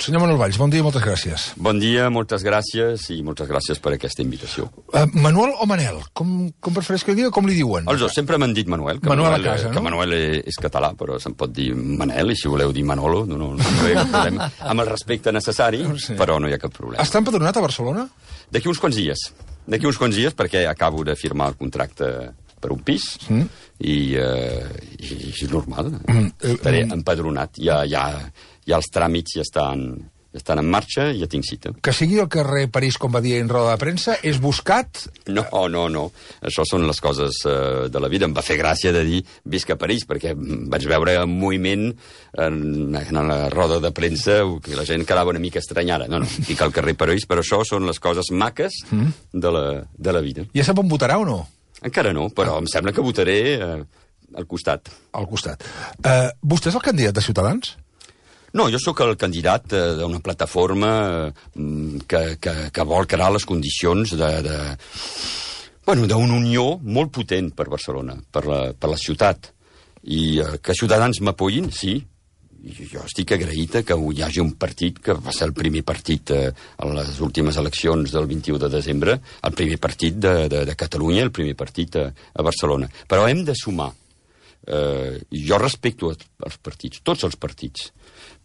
Senyor Manuel Valls, bon dia i moltes gràcies. Bon dia, moltes gràcies i moltes gràcies per aquesta invitació. Manuel o Manel? Com prefereix que digui o com li diuen? Els dos, sempre m'han dit Manuel. Que Manuel a casa, no? Que Manuel és català, però se'n pot dir Manel, i si voleu dir Manolo, no hi ha cap problema. Amb el respecte necessari, sí. Però no hi ha cap problema. Està empadronat a Barcelona? D'aquí uns quants dies. D'aquí uns quants dies, perquè acabo de firmar el contracte per un pis, i és normal. Estaré empadronat. Ja els tràmits ja estan en marxa i ja tinc cita. Que sigui al carrer París, com va dir en roda de premsa, és buscat? No. Això són les coses de la vida. Em va fer gràcia de dir visc a París, perquè vaig veure un moviment en la roda de premsa que la gent quedava una mica estranyada. No, dic al carrer París, però això són les coses maques de la vida. Ja sap on votarà o no? Encara no, però em sembla que votaré al costat. Al costat. Vostè és el candidat de Ciutadans? No, jo sóc el candidat d'una plataforma que vol crear les condicions d'una unió molt potent per Barcelona, per la ciutat. I que Ciutadans m'apoyin, sí. Jo estic agraït que hi hagi un partit que va ser el primer partit a les últimes eleccions del 21 de desembre, el primer partit de Catalunya, el primer partit a Barcelona. Però hem de sumar. Jo respecto els partits, tots els partits,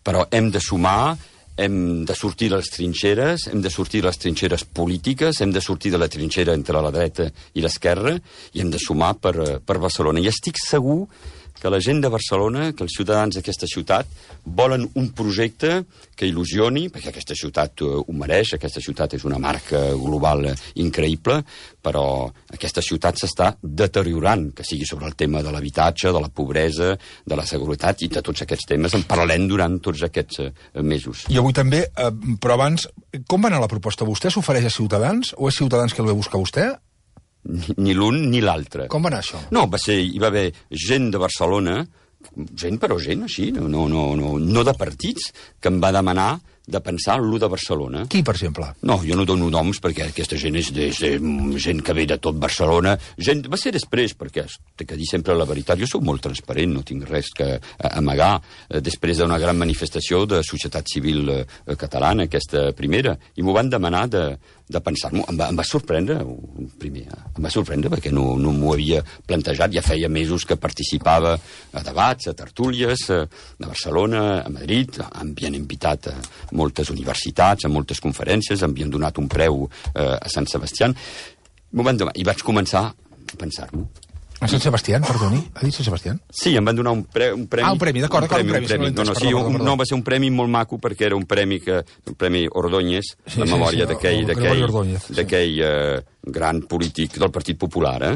però hem de sumar, hem de sortir de les trinxeres, hem de sortir de les trinxeres polítiques, hem de sortir de la trinxera entre la dreta i l'esquerra, i hem de sumar per Barcelona. I estic segur que la gent de Barcelona, que els ciutadans d'aquesta ciutat, volen un projecte que il·lusioni, perquè aquesta ciutat ho mereix, aquesta ciutat és una marca global increïble, però aquesta ciutat s'està deteriorant, que sigui sobre el tema de l'habitatge, de la pobresa, de la seguretat, i de tots aquests temes en parlarem durant tots aquests mesos. I avui també, però abans, com va anar la proposta? Vostè s'ofereix a Ciutadans o és Ciutadans que el ve a buscar vostè? Ni l'un ni l'altre. Com va anar això? No, hi va haver gent de Barcelona, gent així, no de partits, que em va demanar de pensar en l'U de Barcelona. Qui, per exemple? No, jo no dono noms perquè aquesta gent és gent que ve de tot Barcelona. Va ser després, perquè he de dir sempre la veritat. Jo sóc molt transparent, no tinc res que amagar. Després d'una gran manifestació de societat civil catalana, aquesta primera, i m'ho van demanar de pensar-m'ho. Em va sorprendre, primer. Em va sorprendre perquè no m'ho havia plantejat. Ja feia mesos que participava a debats, a tertúlies, a Barcelona, a Madrid. Em havien invitat a moltes universitats, a moltes conferències, em havien donat un preu a Sant Sebastià. I vaig començar a pensar-m'ho. A Sant Sebastià, perdoni? Ha dit Sant Sebastià? Sí, em van donar un premi. Un premi, d'acord, un premi. No, va ser un premi molt maco, perquè era un premi Ordóñez, en memòria d'aquell gran polític del Partit Popular,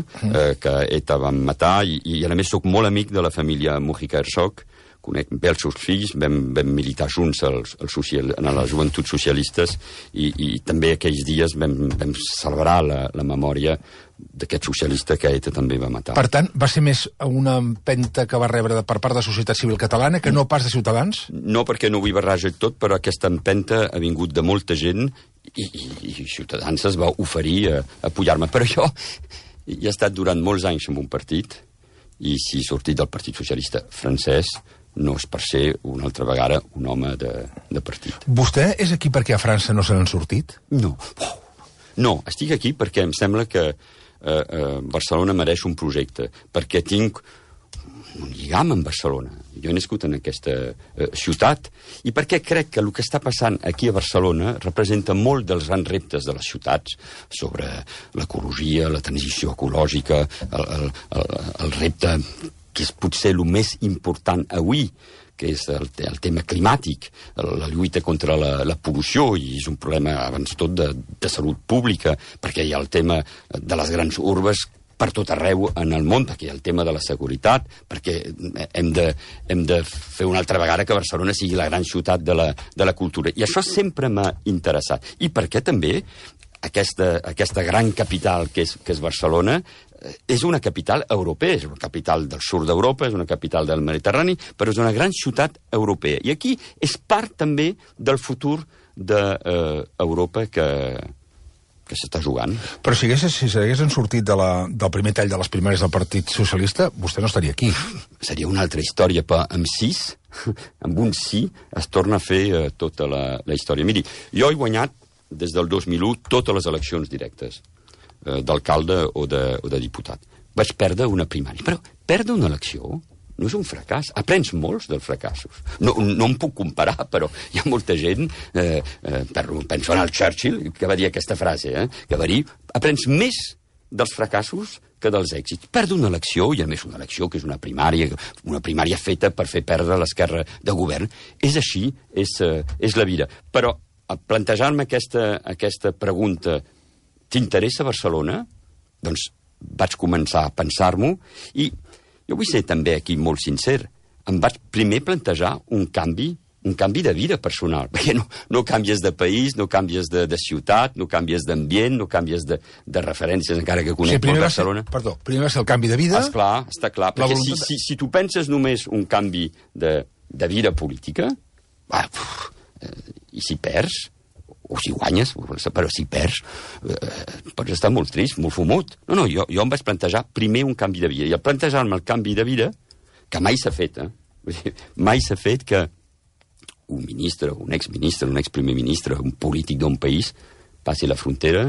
que ETA van matar, i a més sóc molt amic de la família Mujica Herzog, conec bé els seus fills, vam militar junts en les joventuts socialistes, i també aquells dies vam celebrar la memòria d'aquest socialista que ETA també va matar. Per tant, va ser més una empenta que va rebre per part de la societat civil catalana que no pas de Ciutadans? No, perquè no vull barrejar tot, però aquesta empenta ha vingut de molta gent i Ciutadans es va oferir a apoyar-me. Però jo he estat durant molts anys en un partit, i si he sortit del Partit Socialista francès, no és per ser una altra vegada un home de partit. Vostè és aquí perquè a França no se n'han sortit? No, estic aquí perquè em sembla que Barcelona mereix un projecte, perquè tinc un lligam amb Barcelona. Jo he nascut en aquesta ciutat, i perquè crec que el que està passant aquí a Barcelona representa molt dels grans reptes de les ciutats, sobre l'ecologia, la transició ecològica, el repte que és potser el més important avui, que és el tema climàtic, la lluita contra la pol·lució, i és un problema abans tot de salut pública, perquè hi ha el tema de les grans urbes per tot arreu en el món, perquè hi ha el tema de la seguretat, perquè hem de fer una altra vegada que Barcelona sigui la gran ciutat de la cultura. I això sempre m'ha interessat. I perquè també aquesta gran capital que és Barcelona és una capital europea, és una capital del sud d'Europa, és una capital del Mediterrani, però és una gran ciutat europea. I aquí és part també del futur d'Europa que que s'està jugant. Però si s'haguessin sortit del primer tall de les primàries del Partit Socialista, vostè no estaria aquí. Seria una altra història, però amb un sí es torna a fer tota la història. Miri, jo he guanyat des del 2001 totes les eleccions directes d'alcalde o de diputat. Vaig perdre una primària. Però perdre una elecció no és un fracàs. Aprens molts dels fracassos. No em puc comparar, però hi ha molta gent, penso en el Churchill, que va dir aquesta frase, que va dir, aprens més dels fracassos que dels èxits. Perdre una elecció, i a més una elecció que és una primària feta per fer perdre l'esquerra de govern, és així, és la vida. Però plantejar-me aquesta pregunta, t'interessa Barcelona? Doncs vaig començar a pensar-m'ho i jo vull ser també aquí molt sincer. Em vaig primer plantejar un canvi de vida personal, perquè no canvies de país, no canvies de ciutat, no canvies d'ambient, no canvies de referències, encara que conec molt Barcelona. Primer va ser el canvi de vida. Esclar, està clar, perquè si tu penses només un canvi de vida política, i si perds, o si guanyes, però si perds, pots estar molt trist, molt fumut. No, jo em vaig plantejar primer un canvi de vida. I al plantejar-me el canvi de vida, que mai s'ha fet, mai s'ha fet que un ministre, un exministre, un exprimer ministre, un polític d'un país, passi la frontera,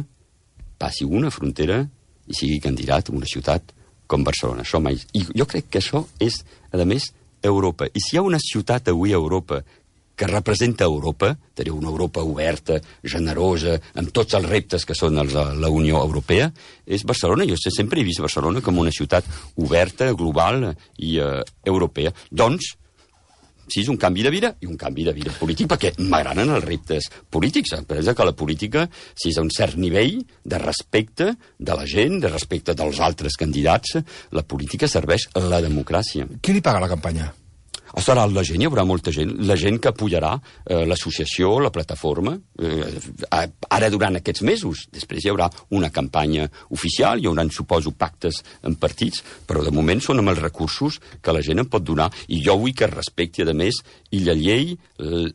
passi una frontera i sigui candidat a una ciutat com Barcelona. Això mai... I jo crec que això és, a més, Europa. I si hi ha una ciutat avui a Europa que representa Europa, teniu una Europa oberta, generosa, amb tots els reptes que són els de la Unió Europea, és Barcelona. Jo sempre he vist Barcelona com una ciutat oberta, global i europea. Doncs, sí, és un canvi de vida i un canvi de vida polític, perquè m'agraden els reptes polítics. Pensa que la política, si és a un cert nivell de respecte de la gent, de respecte dels altres candidats, la política serveix a la democràcia. Qui li paga la campanya? Serà la gent, hi haurà molta gent, la gent que apoyarà l'associació, la plataforma, ara durant aquests mesos. Després hi haurà una campanya oficial, hi haurà, suposo, pactes en partits, però de moment són amb els recursos que la gent em pot donar, i jo vull que respecti, a més, i la llei,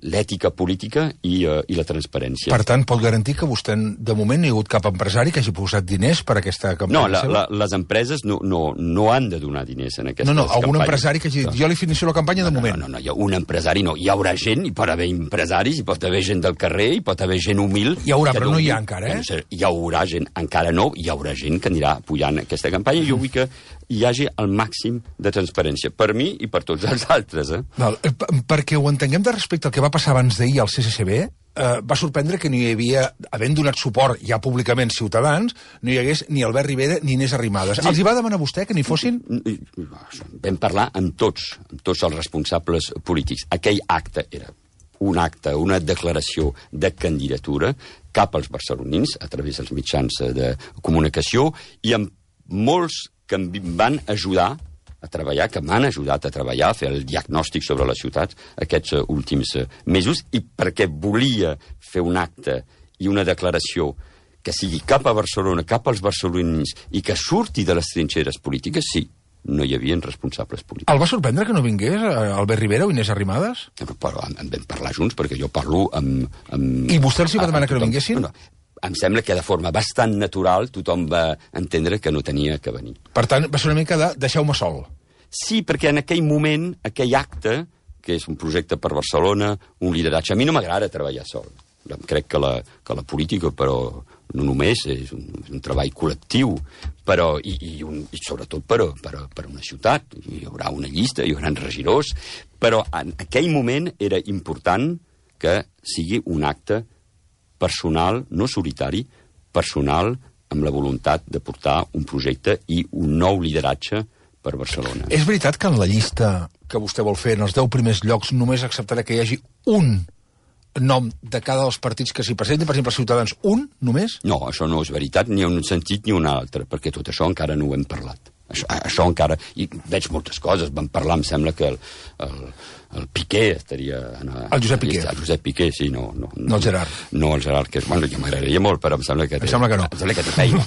l'ètica política i la transparència. Per tant, pot garantir que vostè, de moment, no hi ha hagut cap empresari que hagi posat diners per aquesta campanya seva? No, les empreses no han de donar diners en aquestes campanyes. Algun empresari que hagi dit, jo li financio la campanya de moment. No, un empresari no. Hi haurà gent, hi pot haver empresaris, hi pot haver gent del carrer, hi pot haver gent humil. Hi haurà, però no hi ha encara, Hi haurà gent, encara no, hi haurà gent que anirà apoyant aquesta campanya. Jo vull que hi hagi el màxim de transparència, per mi i per tots els altres. Perquè ho entenguem de respecte al que va passar abans d'ahir al CCCB, va sorprendre que no hi havia, havent donat suport ja públicament Ciutadans, no hi hagués ni Albert Rivera ni Inés Arrimadas. Els hi va demanar vostè que n'hi fossin? Vam parlar amb tots els responsables polítics. Aquell acte era un acte, una declaració de candidatura cap als barcelonins a través dels mitjans de comunicació i amb molts que em van ajudar a treballar, que m'han ajudat a treballar, a fer el diagnòstic sobre les ciutats aquests últims mesos, i perquè volia fer un acte i una declaració que sigui cap a Barcelona, cap als barcelonins, i que surti de les trinxeres polítiques, sí, no hi havia responsables polítics. El va sorprendre que no vingués Albert Rivera o Inés Arrimadas? Però en vam parlar junts, perquè jo parlo amb... I vostè els hi va demanar que no vinguessin? No. Em sembla que de forma bastant natural tothom va entendre que no tenia que venir. Per tant, va ser una mica de deixeu-me sol. Sí, perquè en aquell moment, aquell acte, que és un projecte per Barcelona, un lideratge... A mi no m'agrada treballar sol. Crec que la política, però no només, és un treball col·lectiu, però, i sobretot per una ciutat. Hi haurà una llista, hi haurà regidors, però en aquell moment era important que sigui un acte personal, no solitari, personal, amb la voluntat de portar un projecte i un nou lideratge per Barcelona. És veritat que en la llista que vostè vol fer, en els 10 primers llocs, només acceptarà que hi hagi un nom de cada dels partits que s'hi presenti, per exemple, Ciutadans, un, només? No, això no és veritat, ni un sentit ni un altre, perquè tot això encara no ho hem parlat. Això encara... I veig moltes coses. Vam parlar, em sembla que el Piqué estaria... El Josep Piqué. El Josep Piqué, sí, no el Gerard. No el Gerard, que bueno, jo m'agradaria molt, però em sembla que... Em sembla que no. Em sembla que té feina,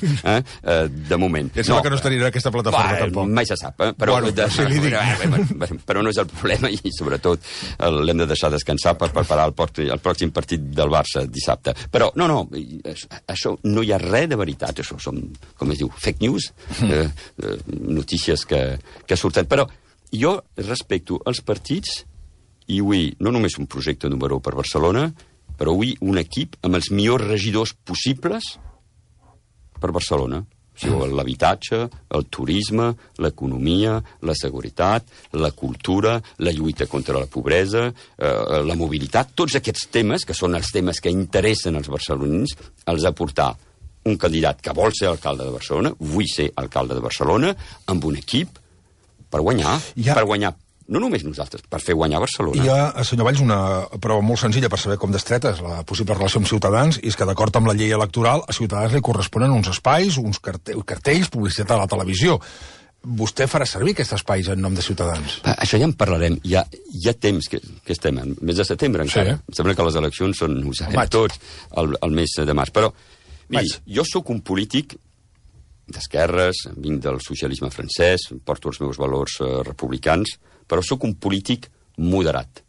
de moment. Em sembla que no estaria en aquesta plataforma, tampoc. Mai se sap, però... Bueno, sí, li dic. Però no és el problema i, sobretot, l'hem de deixar descansar per preparar el pròxim partit del Barça dissabte. Però, no, això no hi ha res de veritat, això són, com es diu, fake news, notícies que surten. Però jo respecto els partits i avui no només un projecte número 1 per Barcelona, però avui un equip amb els millors regidors possibles per Barcelona. O sigui, l'habitatge, el turisme, l'economia, la seguretat, la cultura, la lluita contra la pobresa, la mobilitat, tots aquests temes, que són els temes que interessen als barcelonins, els ha portat un candidat que vol ser alcalde de Barcelona, vull ser alcalde de Barcelona, amb un equip per guanyar, no només nosaltres, per fer guanyar Barcelona. Hi ha, senyor Valls, una prova molt senzilla per saber com d'estreta és la possible relació amb Ciutadans, i és que, d'acord amb la llei electoral, a Ciutadans li corresponen uns espais, uns cartells, publicitat a la televisió. Vostè farà servir aquests espais en nom de Ciutadans? Això ja en parlarem. Hi ha temps que estem, en mes de setembre encara. Sí. Em sembla que les eleccions són, ho sabem tots, el mes de març. Però, miri, jo sóc un polític d'esquerres, vinc del socialisme francès, porto els meus valors republicans, però sóc un polític moderat.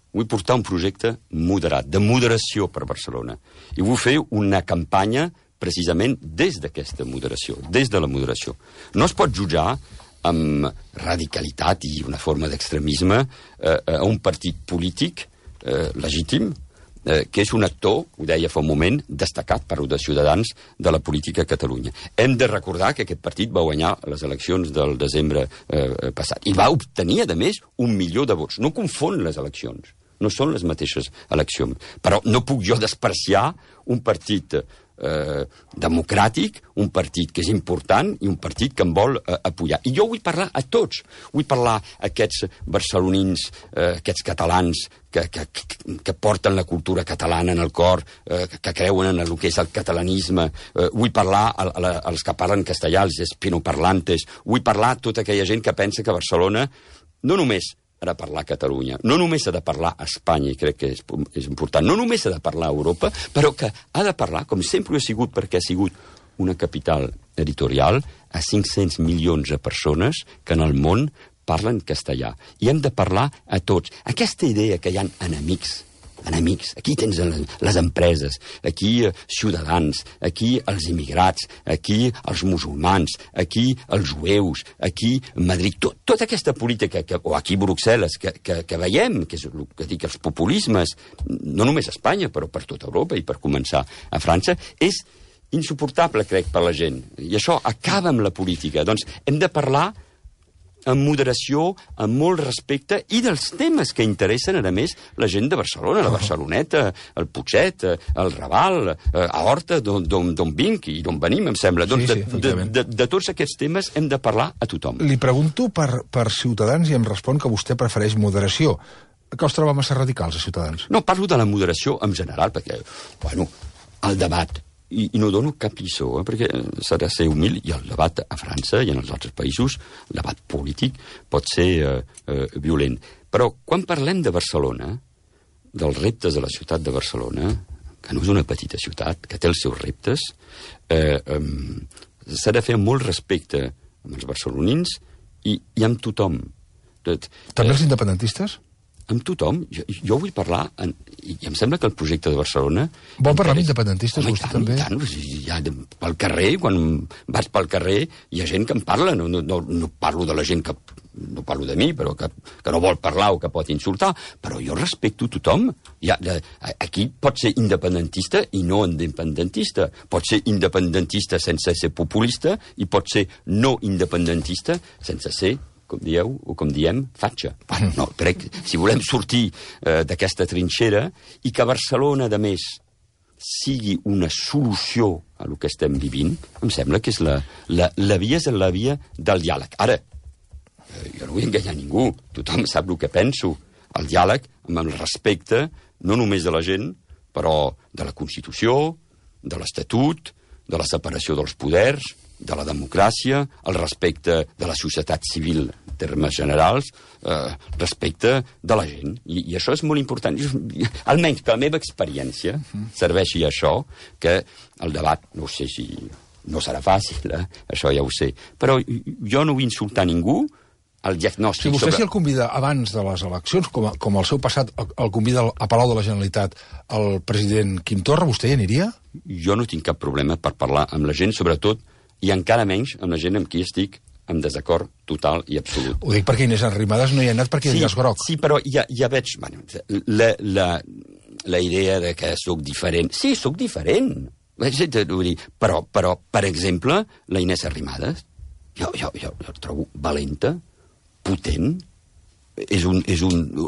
Vull portar un projecte moderat, de moderació per Barcelona. I vull fer una campanya precisament des d'aquesta moderació, des de la moderació. No es pot jutjar amb radicalitat i una forma d'extremisme a un partit polític legítim, que és un actor, ho deia fa un moment, destacat, parlo de Ciutadans, de la política a Catalunya. Hem de recordar que aquest partit va guanyar les eleccions del desembre passat. I va obtenir, a més, 1 milió de vots. No confon les eleccions. No són les mateixes eleccions. Però no puc jo despreciar un partit democràtic, un partit que és important i un partit que em vol apoyar. I jo vull parlar a tots. Vull parlar a aquests barcelonins, aquests catalans que porten la cultura catalana en el cor, que creuen en el que és el catalanisme. Vull parlar als que parlen castellà, els hispanoparlantes. Vull parlar a tota aquella gent que pensa que Barcelona no només ha de parlar a Catalunya, no només ha de parlar a Espanya, i crec que és important, no només ha de parlar a Europa, però que ha de parlar, com sempre ho ha sigut, perquè ha sigut una capital editorial, a 500 milions de persones que en el món parlen castellà. I hem de parlar a tots. Aquesta idea que hi ha enemics, aquí tens les empreses, aquí ciutadans, aquí els immigrats, aquí els musulmans, aquí els jueus, aquí Madrid, tota aquesta política, o aquí Bruxelles, que veiem, que és el que dic, els populismes, no només a Espanya, però per tota Europa i per començar a França, és insuportable, crec, per la gent. I això acaba amb la política. Doncs hem de parlar amb moderació, amb molt respecte, i dels temes que interessen, a més, la gent de Barcelona, la Barceloneta, el Putxet, el Raval, a Horta, d'on vinc i d'on venim, em sembla. De tots aquests temes hem de parlar a tothom. Li pregunto per Ciutadans i em respon que vostè prefereix moderació. Que els troba massa radicals, a Ciutadans? No, parlo de la moderació en general, perquè, bueno, el debat, i no dono cap lliçó, perquè s'ha de ser humil, i el debat a França i en els altres països, el debat polític, pot ser violent. Però quan parlem de Barcelona, dels reptes de la ciutat de Barcelona, que no és una petita ciutat, que té els seus reptes, s'ha de fer amb molt respecte amb els barcelonins i amb tothom. També els independentistes? Amb tothom. Jo vull parlar, i em sembla que el projecte de Barcelona... Vol parlar amb independentistes, vostè també? Tant, ja pel carrer, quan vaig pel carrer, hi ha gent que em parla, no parlo de la gent que... No parlo de mi, però que no vol parlar o que pot insultar, però jo respecto tothom. Aquí pot ser independentista i no independentista. Pot ser independentista sense ser populista i pot ser no independentista sense ser, com dieu, o com diem, fatxa. No, crec, si volem sortir d'aquesta trinxera i que Barcelona, de més, sigui una solució a el que estem vivint, em sembla que és la via és la via del diàleg. Ara, jo no vull enganyar ningú, tothom sap el que penso. El diàleg amb el respecte, no només de la gent, però de la Constitució, de l'Estatut, de la separació dels poders, de la democràcia, el respecte de la societat civil en termes generals, respecte de la gent. I això és molt important. Almenys que la meva experiència serveixi això, que el debat, no sé si no serà fàcil, això ja ho sé, però jo no vull insultar ningú. El diagnòstic... Si vostè el convida abans de les eleccions, com el seu passat el convida a Palau de la Generalitat el president Quim Torra, vostè hi aniria? Jo no tinc cap problema per parlar amb la gent, sobretot, i encara menys amb la gent amb qui estic en desacord total i absolut. Ho dic perquè Inés Arrimadas no hi ha anat perquè hi ha groc. Sí, però ja veig... Bueno, la idea de que sóc diferent... Sí, sóc diferent. Però, per exemple, la Inés Arrimadas, jo la trobo valenta, potent,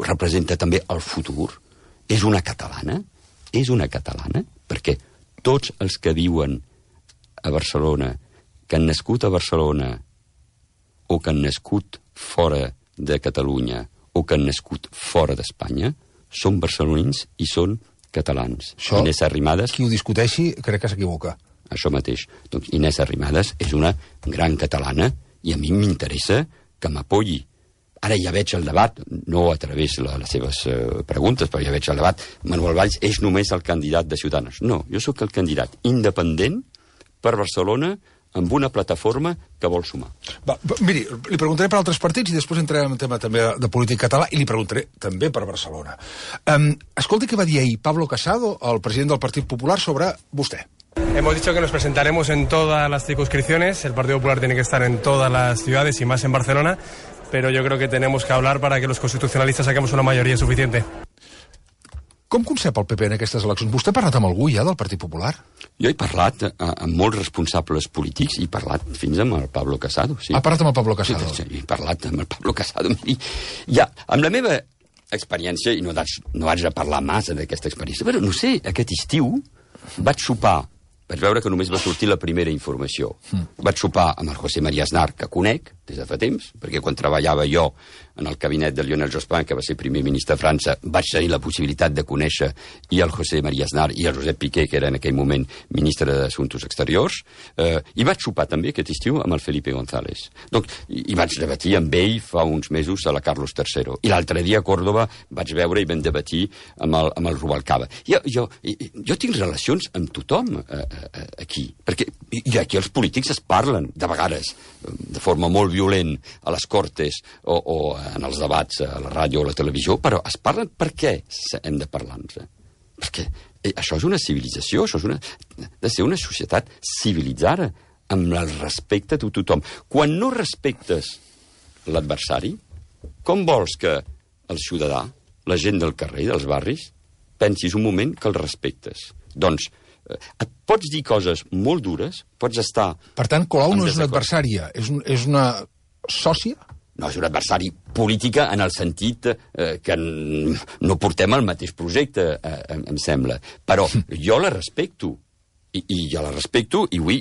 representa també el futur, és una catalana, perquè tots els que viuen a Barcelona, que han nascut a Barcelona, o que han nascut fora de Catalunya, o que han nascut fora d'Espanya, són barcelonins i són catalans. Això, Inés Arrimadas... Qui ho discuteixi crec que s'equivoca. Això mateix. Doncs Inés Arrimadas és una gran catalana i a mi m'interessa que m'apoyi. Ara ja veig el debat, no a través de les seves preguntes, però ja veig el debat. Manuel Valls és només el candidat de Ciutadans. No, jo sóc el candidat independent per Barcelona amb una plataforma que vol sumar. Miri, li preguntaré per altres partits i després entrarem en tema també de política català i li preguntaré també per Barcelona. Escolti què va dir ahir Pablo Casado, el president del Partit Popular, sobre vostè. Hemos dicho que nos presentaremos en todas las circunscripciones. El Partido Popular tiene que estar en todas las ciudades y más en Barcelona, pero yo creo que tenemos que hablar para que los constitucionalistas saquemos una mayoría suficiente. Com concep el PP en aquestes eleccions? Vostè ha parlat amb algú ja del Partit Popular? Jo he parlat amb molts responsables polítics i he parlat fins amb el Pablo Casado. Sí. Ha parlat amb el Pablo Casado? Sí, he parlat amb el Pablo Casado. Ja, amb la meva experiència, i no haig de parlar massa d'aquesta experiència, però no sé, aquest estiu vaig sopar, vaig veure que només va sortir la primera informació. Vaig sopar amb el José María Aznar, que conec des de fa temps, perquè quan treballava jo en el gabinet de Lionel Jospin, que va ser primer ministre de França, vaig tenir la possibilitat de conèixer i el José María Aznar i el Josep Piqué, que era en aquell moment ministre d'Assumptes Exteriors, i vaig sopar també aquest estiu amb el Felipe González. I vaig debatir amb ell fa uns mesos a la Carlos III. I l'altre dia a Còrdova vaig veure i vam debatir amb el Rubalcaba. Jo tinc relacions amb tothom aquí, perquè aquí els polítics es parlen, de vegades, de forma molt violent a les Cortes o en els debats a la ràdio o a la televisió, però es parlen per què hem de parlar-nos. Perquè això és una civilització, això ha de ser una societat civilitzada, amb el respecte de tothom. Quan no respectes l'adversari, com vols que el ciutadà, la gent del carrer, dels barris, pensis un moment que el respectes? Doncs et pots dir coses molt dures, pots estar... Per tant, Colau no és una adversària, és una sòcia? No, és un adversari política en el sentit que no portem el mateix projecte, em sembla. Però jo la respecto, i jo la respecto i vull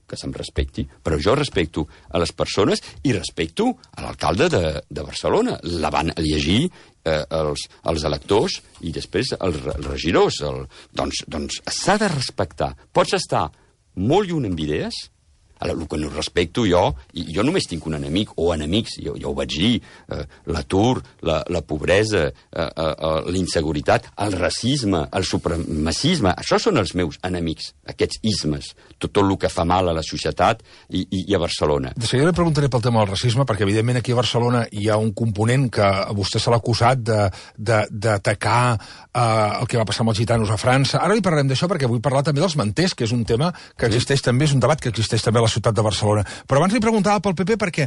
que se'm respecti, però jo respecto a les persones i respecto a l'alcalde de Barcelona. La van llegir els electors i després els regidors. Doncs s'ha de respectar. Pots estar molt lluny amb idees. El que no respecto jo només tinc un enemic o enemics, jo ho vaig dir, l'atur, la pobresa, l'inseguritat, el racisme, el supremacisme, això són els meus enemics, aquests ismes, tot el que fa mal a la societat i a Barcelona. De seguida li preguntaré pel tema del racisme, perquè evidentment aquí a Barcelona hi ha un component que a vostè se l'ha acusat d'atacar el que va passar amb els gitanos a França. Ara li parlarem d'això perquè vull parlar també dels manters, que és un tema que existeix també, és un debat que existeix també a la ciutat de Barcelona. Però abans li preguntava pel PP perquè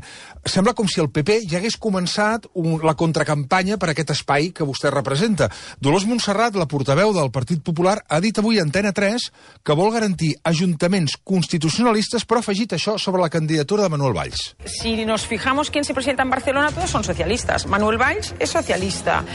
sembla com si el PP ja hagués començat la contracampanya per aquest espai que vostè representa. Dolors Montserrat, la portaveu del Partit Popular, ha dit avui a Antena 3 que vol garantir ajuntaments constitucionalistes, però ha afegit això sobre la candidatura de Manuel Valls. Si nos fijamos quién se presenta en Barcelona, todos son socialistas. Manuel Valls es socialista.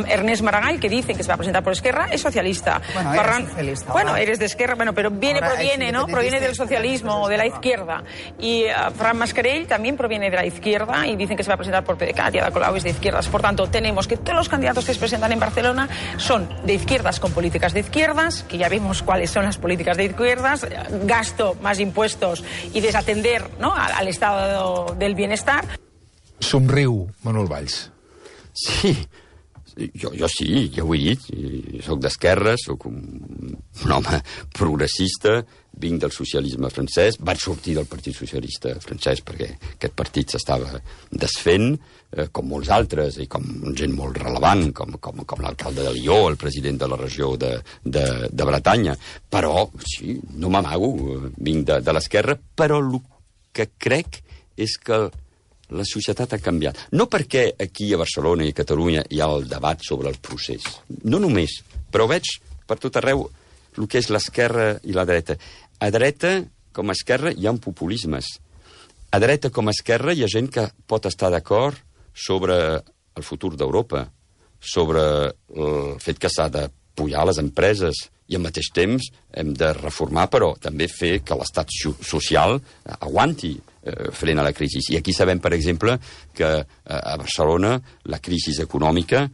Ernest Maragall, que dicen que se va a presentar por Esquerra, es socialista. Bueno, eres socialista. Bueno, eres de Esquerra, bueno, pero proviene, ¿no? Proviene del socialismo o de la izquierda. izquierda. Y Fran Mascarell también proviene de la izquierda y dicen que se va a presentar por PDeCAT y Ada Colau es de izquierdas. Por tanto, tenemos que todos los candidatos que se presentan en Barcelona son de izquierdas con políticas de izquierdas, que ya vimos cuáles son las políticas de izquierdas, gasto, más impuestos y desatender, ¿no?, al estado del bienestar. Somriu, Manuel Valls. Sí, jo sí, ja ho he dit. Soc d'esquerra, soc un home progressista, vinc del socialisme francès, vaig sortir del Partit Socialista francès perquè aquest partit s'estava desfent, com molts altres, i com gent molt relevant, com l'alcalde de Lió, el president de la regió de Bretanya. Però, sí, no m'amago, vinc de l'esquerra, però el que crec és que la societat ha canviat. No perquè aquí a Barcelona i a Catalunya hi ha el debat sobre el procés. No només, però veig per tot arreu el que és l'esquerra i la dreta. A dreta, com a esquerra, hi ha populismes. A dreta, com a esquerra, hi ha gent que pot estar d'acord sobre el futur d'Europa, sobre el fet que s'ha de pujar les empreses i al mateix temps hem de reformar, però també fer que l'estat social aguanti frena la crisi. I aquí sabem, per exemple, que a Barcelona la crisi econòmica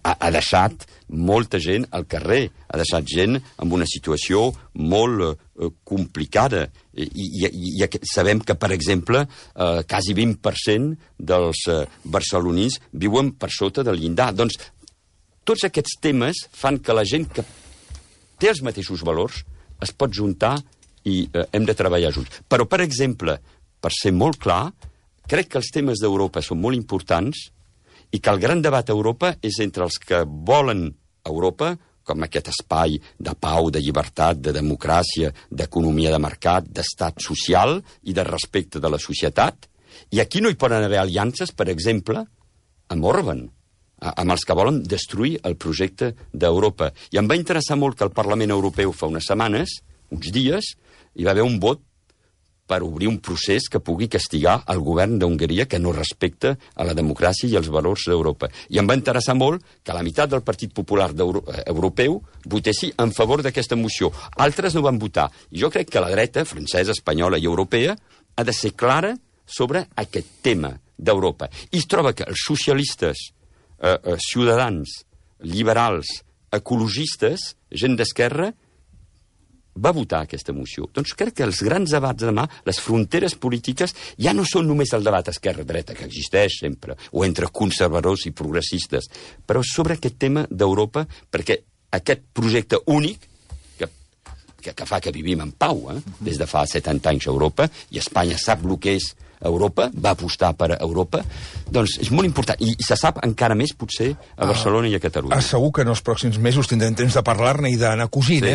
ha deixat molta gent al carrer, ha deixat gent en una situació molt complicada. I sabem que, per exemple, quasi 20% dels barcelonins viuen per sota del llindar. Doncs tots aquests temes fan que la gent que té els mateixos valors es pot juntar i hem de treballar junts. Però, per exemple, per ser molt clar, crec que els temes d'Europa són molt importants i que el gran debat a Europa és entre els que volen Europa, com aquest espai de pau, de llibertat, de democràcia, d'economia de mercat, d'estat social i de respecte de la societat. I aquí no hi poden haver aliances, per exemple, amb Orban, amb els que volen destruir el projecte d'Europa. I em va interessar molt que el Parlament Europeu fa unes setmanes, uns dies, hi va haver un vot per obrir un procés que pugui castigar el govern d'Hongria que no respecta a la democràcia i els valors d'Europa. I em va interessar molt que la meitat del Partit Popular Europeu votessi en favor d'aquesta moció. Altres no van votar. I jo crec que la dreta, francesa, espanyola i europea, ha de ser clara sobre aquest tema d'Europa. I es troba que els socialistes, ciutadans, liberals, ecologistes, gent d'esquerra, va votar aquesta moció. Doncs crec que els grans debats de demà, les fronteres polítiques, ja no són només el debat esquerra-dreta, que existeix sempre, o entre conservadors i progressistes, però sobre aquest tema d'Europa, perquè aquest projecte únic, que fa que vivim en pau, des de fa 70 anys a Europa, i Espanya sap el que és Europa, va apostar per Europa, doncs és molt important. I se sap encara més, potser, a Barcelona i a Catalunya. Segur que en els pròxims mesos tindrem temps de parlar-ne i d'anar cosint, sí.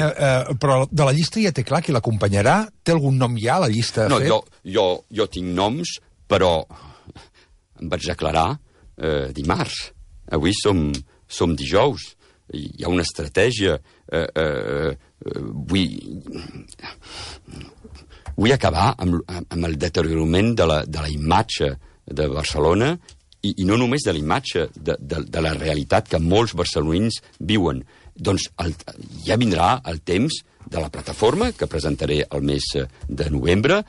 Però de la llista ja té clar qui l'acompanyarà? Té algun nom ja, la llista? No, jo tinc noms, però em vaig declarar dimarts. Avui som dijous. Hi ha una estratègia. Vull acabar amb el deteriorament de la imatge de Barcelona i no només de la imatge, de la realitat que molts barcelonins viuen. Doncs ja vindrà el temps de la plataforma que presentaré el mes de novembre,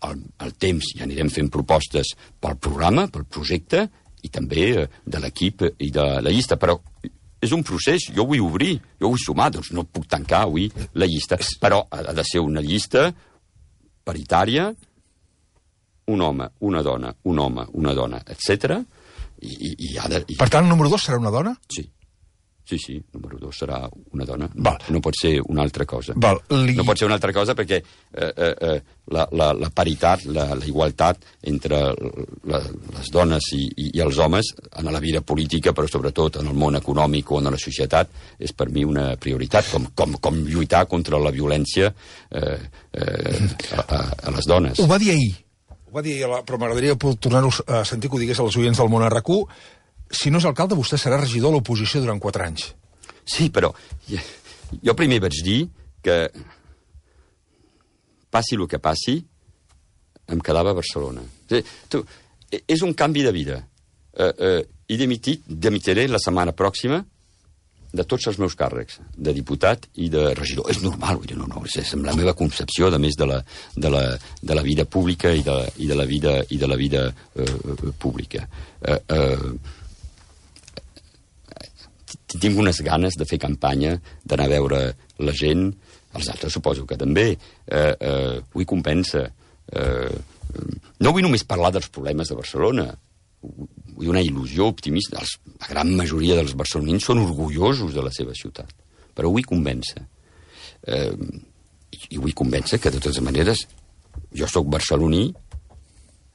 el temps ja anirem fent propostes pel programa, pel projecte i també de l'equip i de la llista, però és un procés, jo vull obrir, jo vull sumar, doncs no puc tancar avui la llista, però ha de ser una llista paritària, un home, una dona, un home, una dona, etc. Per tant, el número 2 serà una dona? Sí. Sí, número 2 serà una dona. Val. No pot ser una altra cosa. Val. No pot ser una altra cosa perquè la paritat, la igualtat entre les dones i els homes en la vida política, però sobretot en el món econòmic o en la societat, és per mi una prioritat, com lluitar contra la violència a les dones. Ho va dir ahir, però m'agradaria tornar-ho a sentir que ho digués als oients del món RQ. Si no és alcalde, vostè serà regidor a l'oposició durant 4 anys. Sí, però jo primer vaig dir que passi el que passi, em quedava a Barcelona. És un canvi de vida. I dimitiré la setmana pròxima de tots els meus càrrecs, de diputat i de regidor. És normal, vull dir, no, és la meva concepció, a més de la vida pública i de la vida pública. Tinc unes ganes de fer campanya, d'anar a veure la gent, els altres suposo que també. Vull convèncer. No vull només parlar dels problemes de Barcelona, vull una il·lusió optimista. La gran majoria dels barcelonins són orgullosos de la seva ciutat, però vull convèncer. I vull convèncer que, de totes maneres, jo sóc barceloní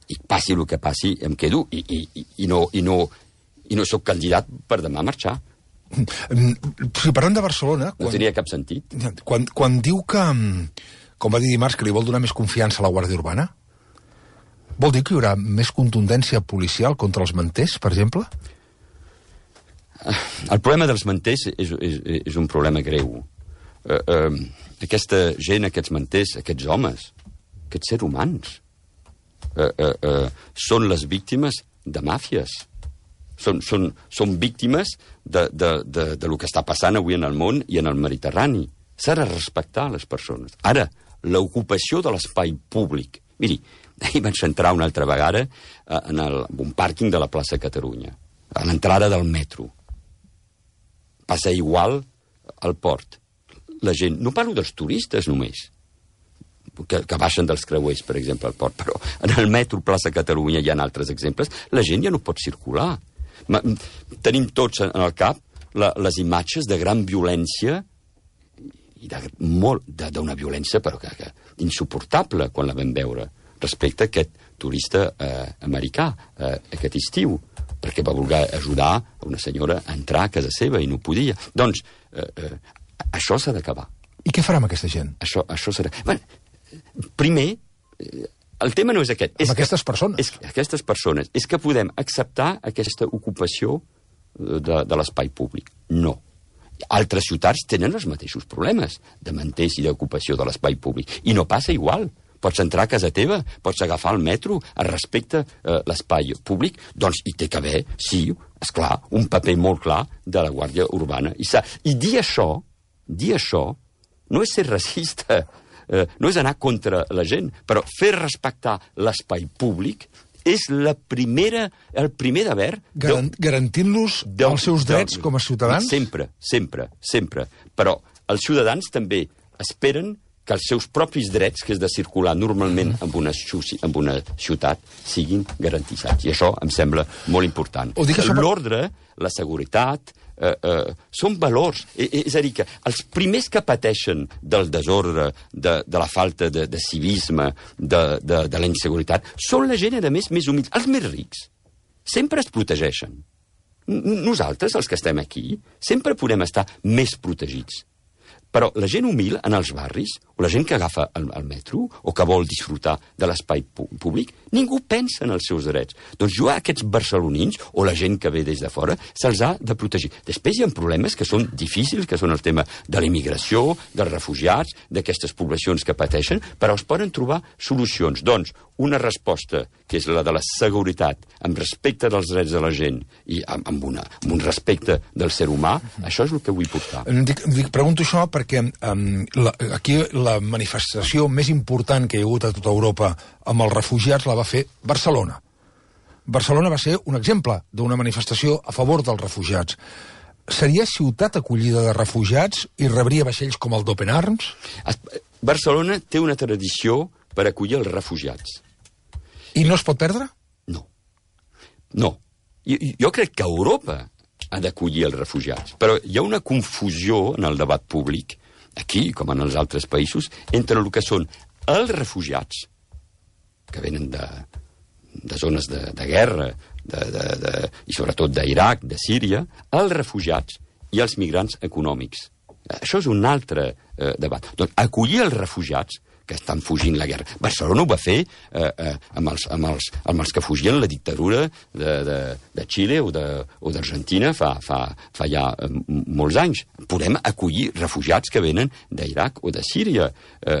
i passi el que passi, em quedo i no sóc candidat per demà marxar. Si parlem de Barcelona... No tenia cap sentit. Quan diu que, com va dir dimarts, que li vol donar més confiança a la Guàrdia Urbana, vol dir que hi haurà més contundència policial contra els manters, per exemple? El problema dels manters és un problema greu. Aquesta gent, aquests manters, aquests homes, aquests sers humans, són les víctimes de màfies. Són víctimes de lo que està passant avui en el món i en el Mediterrani. S'ha de respectar les persones. Ara, l'ocupació de l'espai públic. Miri, ahir vaig entrar una altra vegada en un pàrquing de la plaça Catalunya, a l'entrada del metro. Passa igual al port. La gent, no parlo dels turistes només, que baixen dels creuers, per exemple, al port, però en el metro plaça Catalunya hi ha altres exemples, la gent ja no pot circular. Tenim tots en el cap les imatges de gran violència i d'una violència però que insuportable quan la vam veure respecte a aquest turista americà aquest estiu, perquè va voler ajudar una senyora a entrar a casa seva i no podia. Doncs això s'ha d'acabar. I què farà amb aquesta gent? Això serà... Bueno, primer, el tema no és aquest. Amb aquestes persones? Aquestes persones. És que podem acceptar aquesta ocupació de l'espai públic. No. Altres ciutats tenen els mateixos problemes de manters i d'ocupació de l'espai públic. I no passa igual. Pots entrar a casa teva, pots agafar el metro, es respecta l'espai públic, doncs hi té que haver, sí, esclar, un paper molt clar de la Guàrdia Urbana. I dir això no és ser racista, no és anar contra la gent, però fer respectar l'espai públic és el primer deber... Garantint-los els seus drets com a ciutadans? Sempre. Però els ciutadans també esperen que els seus propis drets, que és de circular normalment en una ciutat, siguin garantissats. I això em sembla molt important. L'ordre, la seguretat, són valors. És a dir, que els primers que pateixen del desordre, de la falta de civisme, de la inseguretat, són la gent, a més humil. Els més rics sempre es protegeixen. Nosaltres, els que estem aquí, sempre podem estar més protegits. Però la gent humil en els barris, o la gent que agafa el metro, o que vol disfrutar de l'espai públic, ningú pensa en els seus drets. Doncs jo a aquests barcelonins, o la gent que ve des de fora, se'ls ha de protegir. Després hi ha problemes que són difícils, que són el tema de la immigració, dels refugiats, d'aquestes poblacions que pateixen, però es poden trobar solucions. Doncs una resposta, que és la de la seguretat, amb respecte dels drets de la gent i amb un respecte del ser humà, això és el que vull portar. Pregunto això perquè aquí la manifestació més important que hi ha hagut a tota Europa amb els refugiats la va fer Barcelona. Barcelona va ser un exemple d'una manifestació a favor dels refugiats. Seria ciutat acollida de refugiats i rebria vaixells com el d'Open Arms? Barcelona té una tradició per acollir els refugiats. I no es pot perdre? No. Jo crec que Europa ha d'acollir els refugiats. Però hi ha una confusió en el debat públic, aquí com en els altres països, entre el que són els refugiats, que venen de zones de guerra, i sobretot d'Iraq, de Síria, els refugiats i els migrants econòmics. Això és un altre debat. Doncs acollir els refugiats que estan fugint la guerra. Barcelona ho va fer amb els que fugien la dictadura de Xile o d'Argentina fa ja molts anys. podem acollir refugiats que venen d'Iraq o de Síria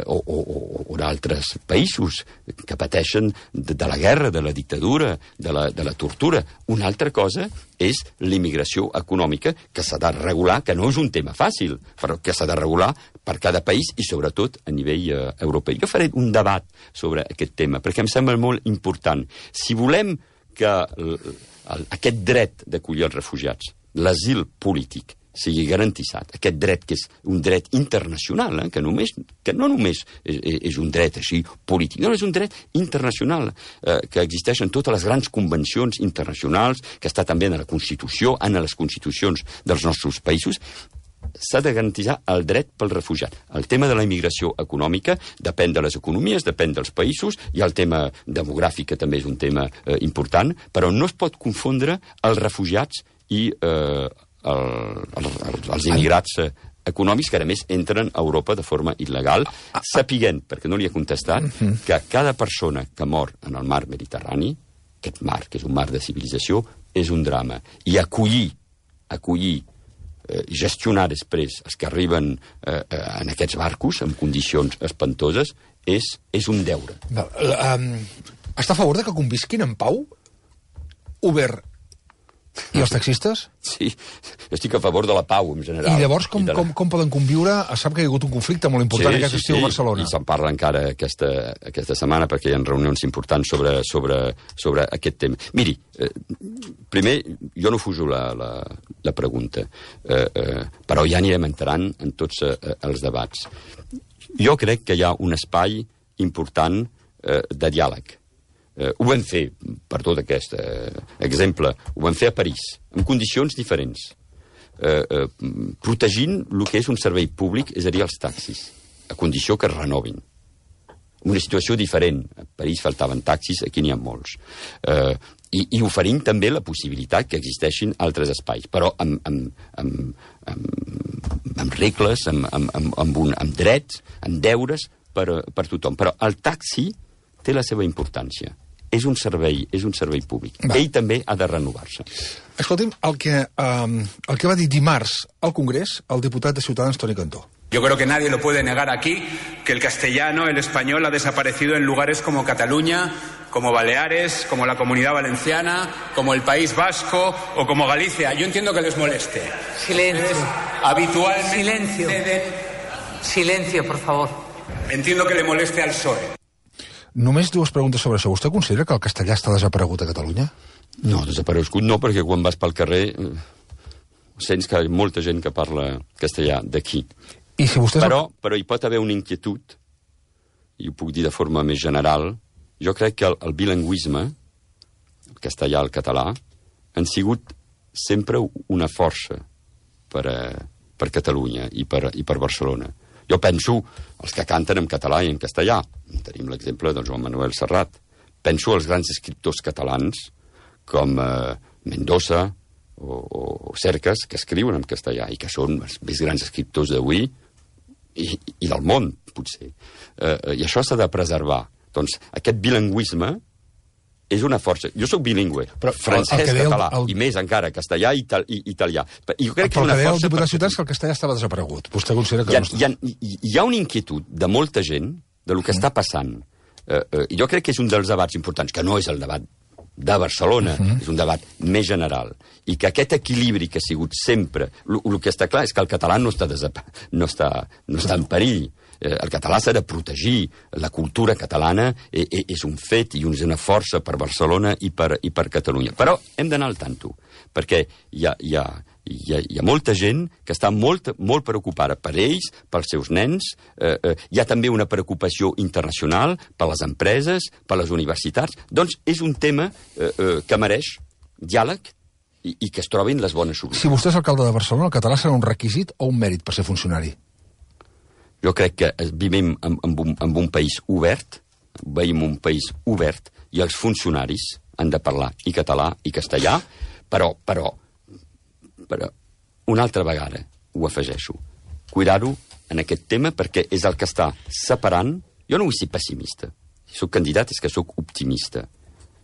o d'altres països que pateixen de la guerra, de la dictadura, de la tortura. Una altra cosa és l'immigració econòmica, que s'ha de regular, que no és un tema fàcil, però que s'ha de regular per cada país i sobretot a nivell europeu. Jo faré un debat sobre aquest tema, perquè em sembla molt important. Si volem que aquest dret d'acollir els refugiats, l'asil polític, sigui garantitzat, aquest dret que és un dret internacional, que no només és un dret així polític, no, és un dret internacional, que existeix en totes les grans convencions internacionals, que està també en la Constitució, en les constitucions dels nostres països. S'ha de garantitzar el dret pel refugiat. El tema de la immigració econòmica depèn de les economies, depèn dels països, i el tema demogràfic, que també és un tema important, però no es pot confondre els refugiats i els immigrats econòmics, que a més entren a Europa de forma il·legal, sapiguent, perquè no li he contestat, que cada persona que mor en el mar Mediterrani, aquest mar, que és un mar de civilització, és un drama. I acollir gestionar després els que arriben en aquests barcos en condicions espantoses és un deure. Està a favor de que convisquin en pau Uber i els taxistes? Sí, jo estic a favor de la pau en general. I llavors com poden conviure? Sap que hi ha hagut un conflicte molt important aquest estiu a Barcelona. I se'n parla encara aquesta setmana, perquè hi ha reunions importants sobre aquest tema. Miri, primer, jo no fujo la pregunta, però ja anirem entrant en tots els debats. Jo crec que hi ha un espai important de diàleg. Ho vam fer, per tot aquest exemple, ho vam fer a París, en condicions diferents, protegint el que és un servei públic, és a dir, els taxis, a condició que es renovin. Una situació diferent. A París faltaven taxis, aquí n'hi ha molts. I oferint també la possibilitat que existeixin altres espais, però amb regles, amb drets, amb deures per tothom. Però el taxi té la seva importància. És un servei públic. Ell també ha de renovar-se. Escolti'm, el que va dir dimarts al Congrés el diputat de Ciutadans, Toni Cantó. Yo creo que nadie lo puede negar aquí, que el castellano, el español, ha desaparecido en lugares como Cataluña, como Baleares, como la Comunidad Valenciana, como el País Vasco o como Galicia. Yo entiendo que les moleste. Silencio. Habitualmente... Silencio. Silencio, por favor. Entiendo que le moleste al PSOE. Només dues preguntes sobre això. Vostè considera que el castellà està desaparegut a Catalunya? No, desaparegut no, perquè quan vas pel carrer sents que hi ha molta gent que parla castellà d'aquí. I si vostès... Però hi pot haver una inquietud, i ho puc dir de forma més general. Jo crec que el bilingüisme, el castellà, el català, han sigut sempre una força per Catalunya i per Barcelona. Jo penso els que canten en català i en castellà. Tenim l'exemple del Joan Manuel Serrat. Penso als grans escriptors catalans com Mendoza o Cercas, que escriuen en castellà i que són els més grans escriptors d'avui i del món, potser. I això s'ha de preservar. Doncs aquest bilingüisme és una força. Jo sóc bilingüe, francès, català, i més encara, castellà i italià. I jo crec que és una força... Però el que deia el diputat Ciutadans que el castellà estava desaparegut. Vostè considera que... Hi ha una inquietud de molta gent de lo que està passant. I jo crec que és un dels debats importants, que no és el debat de Barcelona, és un debat més general, i que aquest equilibri que ha sigut sempre... El que està clar és que el català no està en perill. El català s'ha de protegir, la cultura catalana és un fet i és una força per Barcelona i per Catalunya. Però hem d'anar al tanto, perquè hi ha molta gent que està molt preocupada per ells, pels seus nens. Hi ha també una preocupació internacional per les empreses, per les universitats. Doncs és un tema que mereix diàleg i que es trobin les bones solucions. Si vostè és alcalde de Barcelona, el català serà un requisit o un mèrit per ser funcionari? Jo crec que vivim en un país obert, i els funcionaris han de parlar i català i castellà, però una altra vegada ho afegeixo. Cuidar-ho en aquest tema perquè és el que està separant. Jo no vull ser pessimista. Si soc candidat és que soc optimista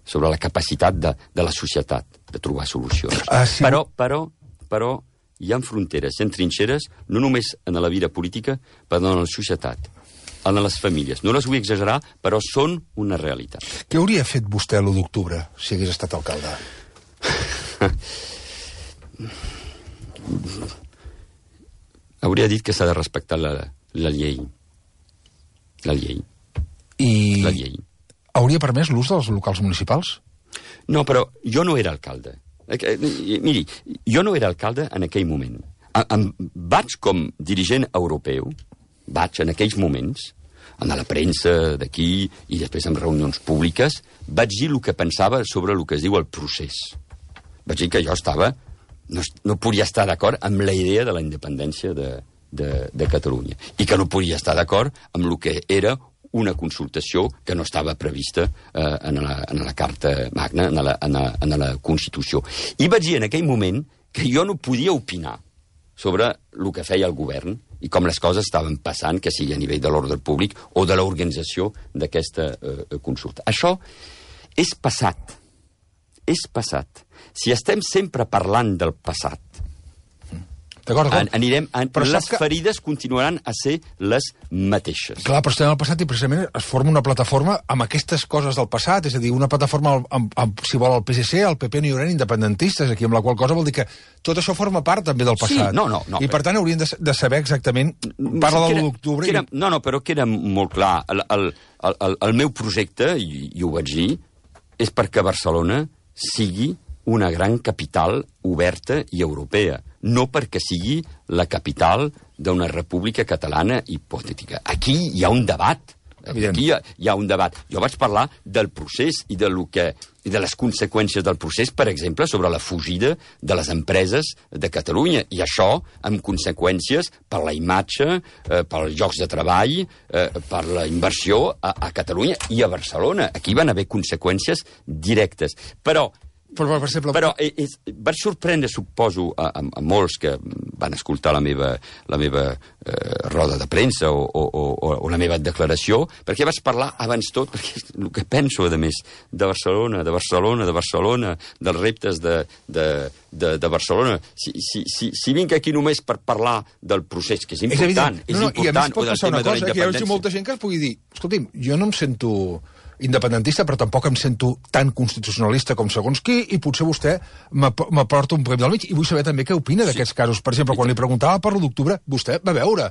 sobre la capacitat de la societat de trobar solucions. Sí. Però hi ha fronteres, hi ha trinxeres, no només en la vida política, però en la societat, en les famílies. No les vull exagerar, però són una realitat. Què hauria fet vostè l'1 d'octubre, si hagués estat alcalde? Hauria dit que s'ha de respectar la llei. La llei. I La llei. hauria permès l'ús dels locals municipals? No, però jo no era alcalde. Miri, jo no era alcalde en aquell moment. Vaig com dirigent europeu, vaig en aquells moments, en la premsa d'aquí i després en reunions públiques, vaig dir el que pensava sobre el que es diu el procés. Vaig dir que jo no podia estar d'acord amb la idea de la independència de Catalunya i que no podia estar d'acord amb el que era una consultació que no estava prevista en la Carta Magna, en la Constitució. I vaig dir en aquell moment que jo no podia opinar sobre el que feia el govern i com les coses estaven passant, que sigui a nivell de l'ordre públic o de l'organització d'aquesta consulta. Això és passat. És passat. Si estem sempre parlant del passat, les ferides continuaran a ser les mateixes. Clar, però estem al passat i precisament es forma una plataforma amb aquestes coses del passat, és a dir, una plataforma amb si vol, el PSC, el PP no hi haurà independentistes aquí, amb la qual cosa vol dir que tot això forma part també del passat. Sí, no. I per tant haurien de saber exactament, parla de l'1 d'octubre... No, però queda molt clar. El meu projecte, i ho vaig dir, és perquè Barcelona sigui una gran capital oberta i europea, no perquè sigui la capital d'una república catalana hipotètica. Aquí hi ha un debat. Aquí hi ha un debat. Jo vaig parlar del procés i de les conseqüències del procés, per exemple, sobre la fugida de les empreses de Catalunya. I això amb conseqüències per la imatge, pels llocs de treball, per la inversió a Catalunya i a Barcelona. Aquí van haver conseqüències directes. Però vaig sorprendre, suposo, a molts que van escoltar la meva roda de premsa o la meva declaració, perquè vaig parlar abans tot, perquè el que penso, a més, de Barcelona, dels reptes de Barcelona. Si vinc aquí només per parlar del procés, que és important, I a més pot passar una cosa, que hi ha molta gent que es pugui dir, escolti'm, jo no em sento independentista, però tampoc em sento tan constitucionalista com segons qui, i potser vostè m'aporta un premi del mig, i vull saber també què opina d'aquests casos. Per exemple, quan li preguntava per l'1 d'octubre, vostè va veure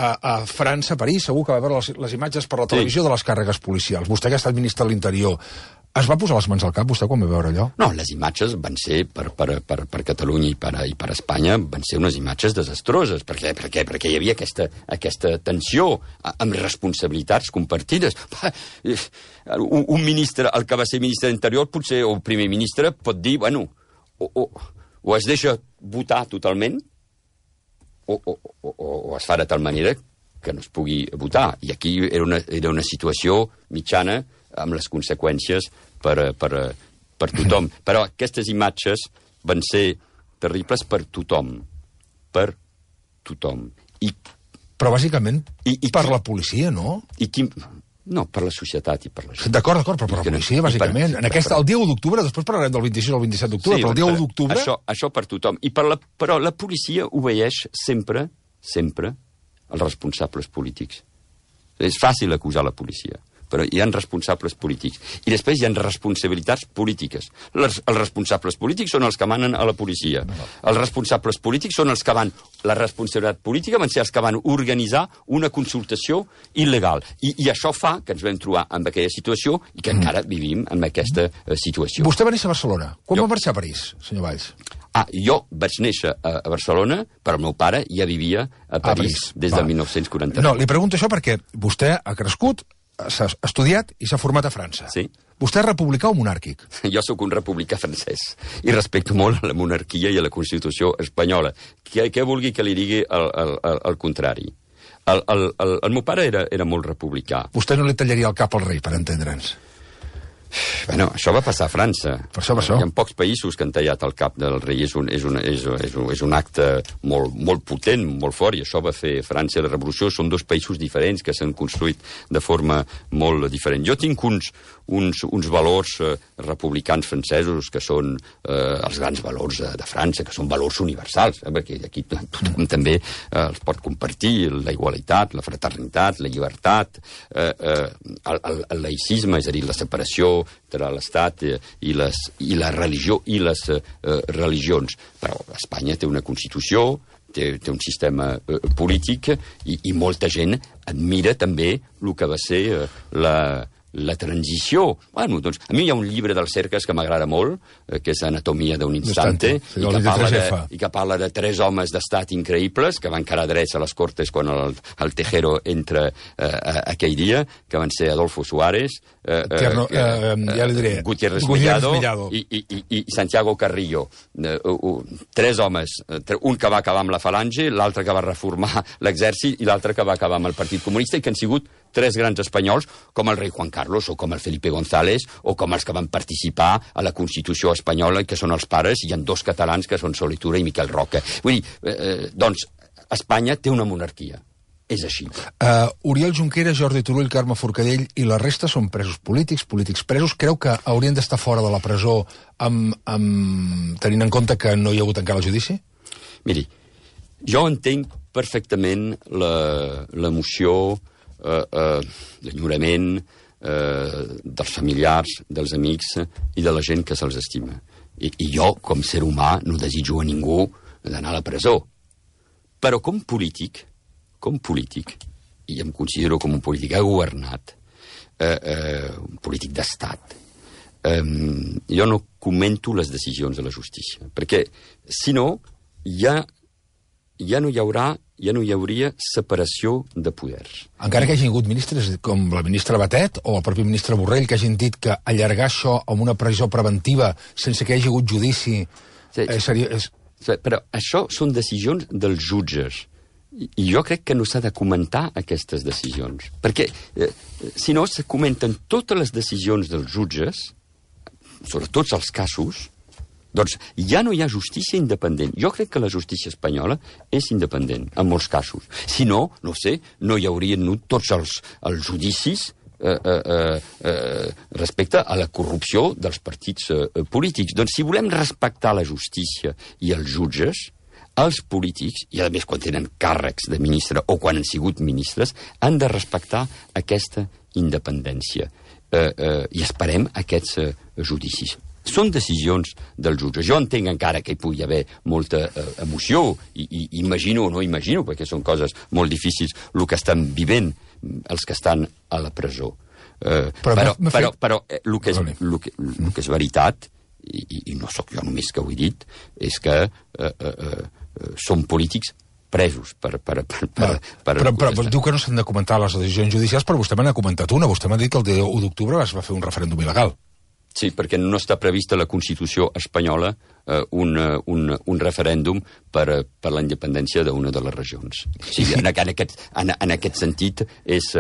a França, a París, segur que va veure les imatges per la televisió de les càrregues policials. Vostè que ha estat ministre de l'Interior, es va posar les mans al cap, vostè, quan va veure allò? No, les imatges van ser, per Catalunya i per Espanya, van ser unes imatges desastroses, perquè hi havia aquesta tensió amb responsabilitats compartides. Un ministre, el que va ser ministre d'Interior, potser, o primer ministre, pot dir, bueno, o es deixa votar totalment, o es fa de tal manera que no es pugui votar. I aquí era una situació mitjana amb les conseqüències per tothom. Però aquestes imatges van ser terribles per tothom. Per tothom. Però bàsicament per la policia, no? No, per la societat i per la gent. D'acord, però per la policia, bàsicament. El dia 1 d'octubre, després parlarem del 26 o el 27 d'octubre, però el dia 1 d'octubre... Això per tothom. Però la policia obeeix sempre els responsables polítics. És fàcil acusar la policia, però hi ha responsables polítics. I després hi ha responsabilitats polítiques. Els responsables polítics són els que manen a la policia. Els responsables polítics són els que van... La responsabilitat política van ser els que van organitzar una consultació il·legal. I això fa que ens vam trobar en aquella situació i que encara vivim en aquesta situació. Vostè va néixer a Barcelona. Quan va marxar a París, senyor Valls? Jo vaig néixer a Barcelona, però el meu pare ja vivia a París des del 1949. No, li pregunto això perquè vostè ha crescut, s'ha estudiat i s'ha format a França. Sí. Vostè és republicà o monàrquic? Jo sóc un republicà francès i respecto molt a la monarquia i a la Constitució espanyola. Què vulgui que li digui el contrari? El meu pare era molt republicà. Vostè no li tallaria el cap al rei, per entendre'ns? Bueno, això va passar a França. Per això. Hi ha pocs països que han tallat el cap del rei. És un acte molt potent, molt fort, i això va fer França i la Revolució. Són dos països diferents que s'han construït de forma molt diferent. Jo tinc uns valors republicans francesos que són els grans valors de França, que són valors universals, perquè aquí tothom també els pot compartir, la igualitat, la fraternitat, la llibertat, el laïcisme, és a dir, la separació entre l'Estat i la religió i les religions. Però Espanya té una Constitució, té un sistema polític i molta gent admira també el que va ser la transició. Bueno, doncs, a mi hi ha un llibre del Cercas que m'agrada molt, que és Anatomia d'un instante, i que parla de 3 homes d'estat increïbles que van quedar drets a les Cortes quan el Tejero entra aquell dia, que van ser Adolfo Suárez, Gutiérrez Mellado i Santiago Carrillo. 3 homes, un que va acabar amb la Falange, l'altre que va reformar l'exèrcit i l'altre que va acabar amb el Partit Comunista, i que han sigut 3 grans espanyols, com el rei Juan Carlos, o com el Felipe González, o com els que van participar a la Constitució espanyola, que són els pares, i hi ha 2 catalans, que són Solitura i Miquel Roca. Vull dir, doncs, Espanya té una monarquia. És així. Oriol Junqueras, Jordi Turull, Carme Forcadell i la resta són presos polítics presos. Creu que haurien d'estar fora de la presó tenint en compte que no hi ha hagut encara el judici? Miri, jo entenc perfectament l'emoció, l'enyorament dels familiars, dels amics i de la gent que se'ls estima. I jo, com ser humà, no desitjo a ningú d'anar a la presó. Però com polític, i em considero com un polític que ha governat, un polític d'estat, jo no comento les decisions de la justícia, perquè, si no, ja no hi hauria separació de poders. Encara que hagi hagut ministres com la ministra Batet o el propi ministre Borrell que hagin dit que allargar això amb una presó preventiva sense que hi hagi hagut judici seria... Però això són decisions dels jutges. I jo crec que no s'ha de comentar aquestes decisions. Perquè, si no, se comenten totes les decisions dels jutges, sobre tots els casos, doncs ja no hi ha justícia independent. Jo crec que la justícia espanyola és independent, en molts casos. Si no, no sé, no hi haurien tots els judicis respecte a la corrupció dels partits polítics. Doncs si volem respectar la justícia i els jutges, els polítics, i a més quan tenen càrrecs de ministre o quan han sigut ministres, han de respectar aquesta independència. I esperem aquests judicis. Són decisions dels jutges. Jo entenc encara que hi pugui haver molta emoció, i imagino o no imagino, perquè són coses molt difícils, el que estan vivint els que estan a la presó. Però el que és veritat, i no sóc jo només que ho he dit, és que són polítics presos però diu que no s'han de comentar les decisions judicials, però vostè me n'ha comentat una. Vostè m'ha dit que el dia 1 d'octubre es va fer un referèndum il·legal. Sí, perquè no està prevista a la Constitució espanyola un referèndum per la independència d'una de les regions. O sigui, en aquest sentit és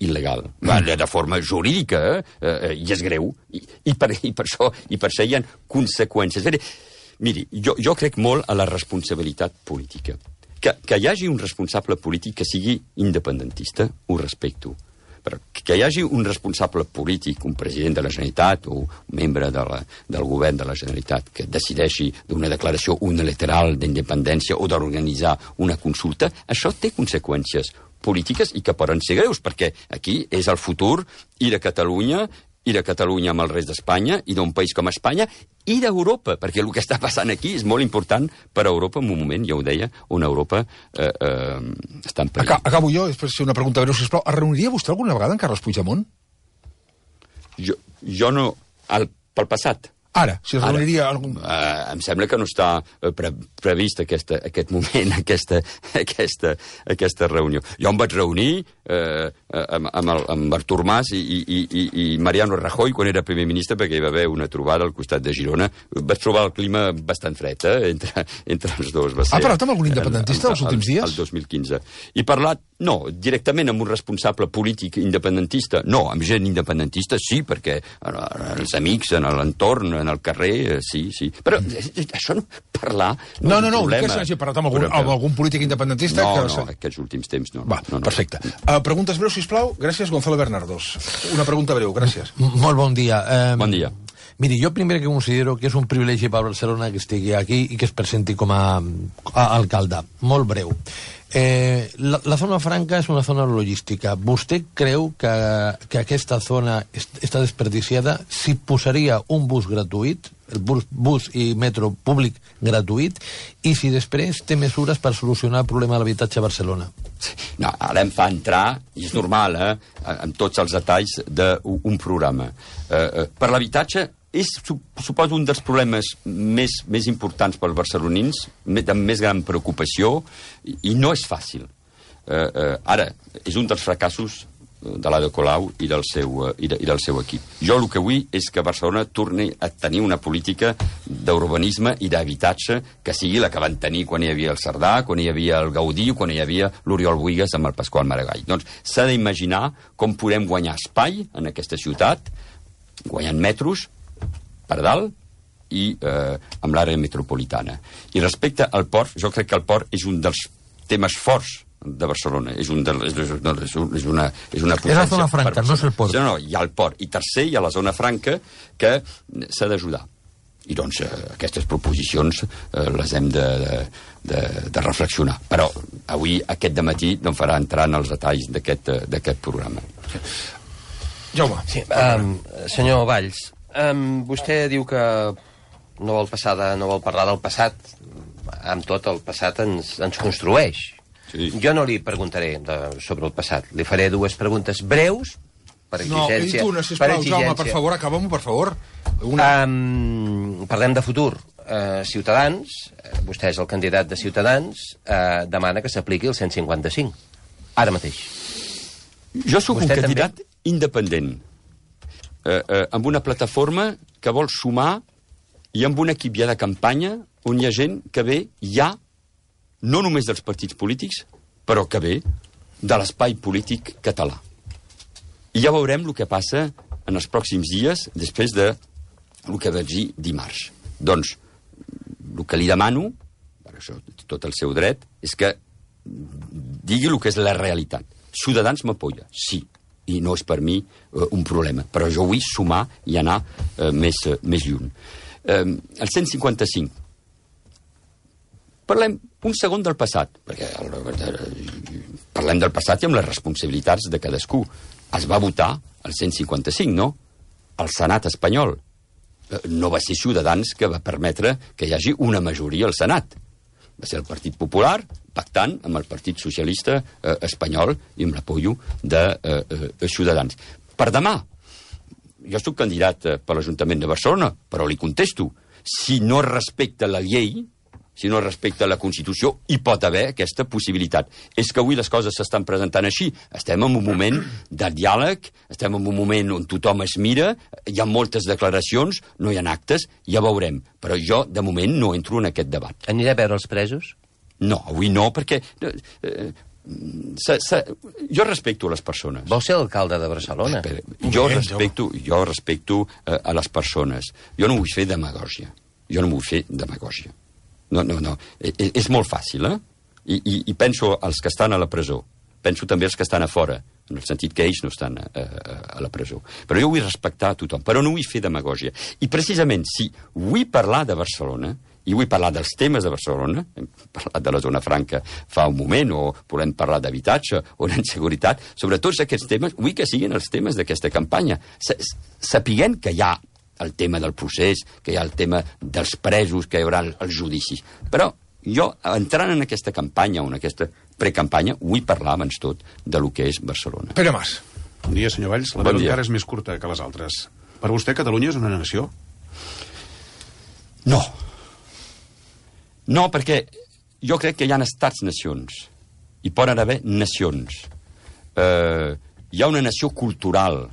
il·legal. De forma jurídica, i és greu, i per això hi ha conseqüències. Miri, jo crec molt a la responsabilitat política. Que hi hagi un responsable polític que sigui independentista, ho respecto. Però que hi hagi un responsable polític, un president de la Generalitat o un membre del govern de la Generalitat que decideixi d'una declaració unilateral d'independència o d'organitzar una consulta, això té conseqüències polítiques i que poden ser greus, perquè aquí és el futur i de Catalunya amb el rest d'Espanya, i d'un país com Espanya, i d'Europa, perquè el que està passant aquí és molt important per a Europa en un moment, ja ho deia, on Europa està en perill. Acabo jo, després una pregunta breu, sisplau. Es reuniria vostè alguna vegada amb Carles Puigdemont? Jo no... Pel passat. Ara, si es reuniria algun... Em sembla que no està previst aquest moment, aquesta reunió. Jo em vaig reunir amb Artur Mas i Mariano Rajoy quan era primer ministre, perquè hi va haver una trobada al costat de Girona. Vaig trobar el clima bastant fred entre els dos. Ha parlat amb algun independentista els últims dies? El 2015. I parlat, no, directament amb un responsable polític independentista. No, amb gent independentista sí, perquè els amics en l'entorn en el carrer, sí. Però això no... Parlar... No, que s'hagi parlat amb algun polític independentista... No, aquests últims temps no. Va, perfecte. Preguntes breus, sisplau? Gràcies, Gonzalo Bernardos. Una pregunta breu, gràcies. Molt bon dia. Bon dia. Miri, jo primer que considero que és un privilegi per Barcelona que estigui aquí i que es presenti com a alcalde. Molt breu. La zona franca és una zona logística. Vostè creu que aquesta zona està desperdiciada si posaria un bus gratuït, el bus i metro públic gratuït, i si després té mesures per solucionar el problema de l'habitatge a Barcelona? No, ara em fa entrar, i és normal, amb tots els detalls d'un programa. Per l'habitatge és, suposo, un dels problemes més importants pels barcelonins, de més gran preocupació, i no és fàcil. Ara, és un dels fracassos de l'Ada Colau i del seu equip. Jo el que vull és que Barcelona torni a tenir una política d'urbanisme i d'habitatge que sigui la que van tenir quan hi havia el Cerdà, quan hi havia el Gaudí o quan hi havia l'Oriol Bohigas amb el Pasqual Maragall. Doncs s'ha d'imaginar com podem guanyar espai en aquesta ciutat, guanyant metros per dalt i amb l'àrea metropolitana. I respecte al port, jo crec que el port és un dels temes forts de Barcelona. És una potència. És la zona franca, no és el port. No, hi ha el port. I tercer, hi ha la zona franca que s'ha d'ajudar. I doncs aquestes proposicions les hem de reflexionar. Però avui, aquest dematí, no em farà entrar en els detalls d'aquest programa. Jaume. Sí, senyor Valls, vostè diu que no vol parlar del passat. Amb tot, el passat ens construeix. Sí. Jo no li preguntaré sobre el passat. Li faré dues preguntes breus, per exigència. No, una, sisplau, Jaume, per favor, acabem-ho, per favor. Parlem de futur. Ciutadans, vostè és el candidat de Ciutadans, demana que s'apliqui el 155. Ara mateix. Jo sóc un candidat independent, amb una plataforma que vol sumar i amb un equip ja de campanya on hi ha gent que ve ja no només dels partits polítics, però que ve de l'espai polític català. I ja veurem el que passa en els pròxims dies, després de el que vaig dir dimarts. Doncs, el que li demano, per això tot el seu dret, és que digui el que és la realitat. Ciutadans m'apoya, sí, i no és per mi un problema, però jo vull sumar i anar més lluny. El 155. Parlem un segon del passat, perquè parlem del passat i amb les responsabilitats de cadascú. Es va votar el 155, no? El Senat espanyol. No va ser Ciutadans que va permetre que hi hagi una majoria al Senat. Va ser el Partit Popular pactant amb el Partit Socialista espanyol i amb l'apoyo de Ciutadans. Per demà, jo soc candidat per l'Ajuntament de Barcelona, però li contesto, si no respecta la llei, si no respecta la Constitució, hi pot haver aquesta possibilitat. És que avui les coses s'estan presentant així. Estem en un moment de diàleg, estem en un moment on tothom es mira, hi ha moltes declaracions, no hi ha actes, ja veurem. Però jo, de moment, no entro en aquest debat. Aniré a veure els presos? No, avui no, perquè... jo respecto les persones. Vol ser alcalde de Barcelona? Jo respecto a les persones. Jo no vull fer demagògia. No. És molt fàcil, I penso als que estan a la presó. Penso també als que estan a fora, en el sentit que ells no estan a la presó. Però jo vull respectar a tothom, però no vull fer demagògia. I precisament, si vull parlar de Barcelona, i vull parlar dels temes de Barcelona, hem parlat de la zona franca fa un moment, o volem parlar d'habitatge o d'inseguretat, sobre tots aquests temes, vull que siguin els temes d'aquesta campanya. Sapiguem que hi ha el tema del procés, que hi ha el tema dels presos, que hi haurà els judicis. Però jo, entrant en aquesta campanya o en aquesta precampanya, vull parlar abans tot de lo que és Barcelona. Pere Mas. Bon dia, senyor Valls. La meva encara és més curta que les altres. Per vostè, Catalunya és una nació? No. No, perquè jo crec que hi ha estats-nacions. Hi poden haver nacions. Hi ha una nació cultural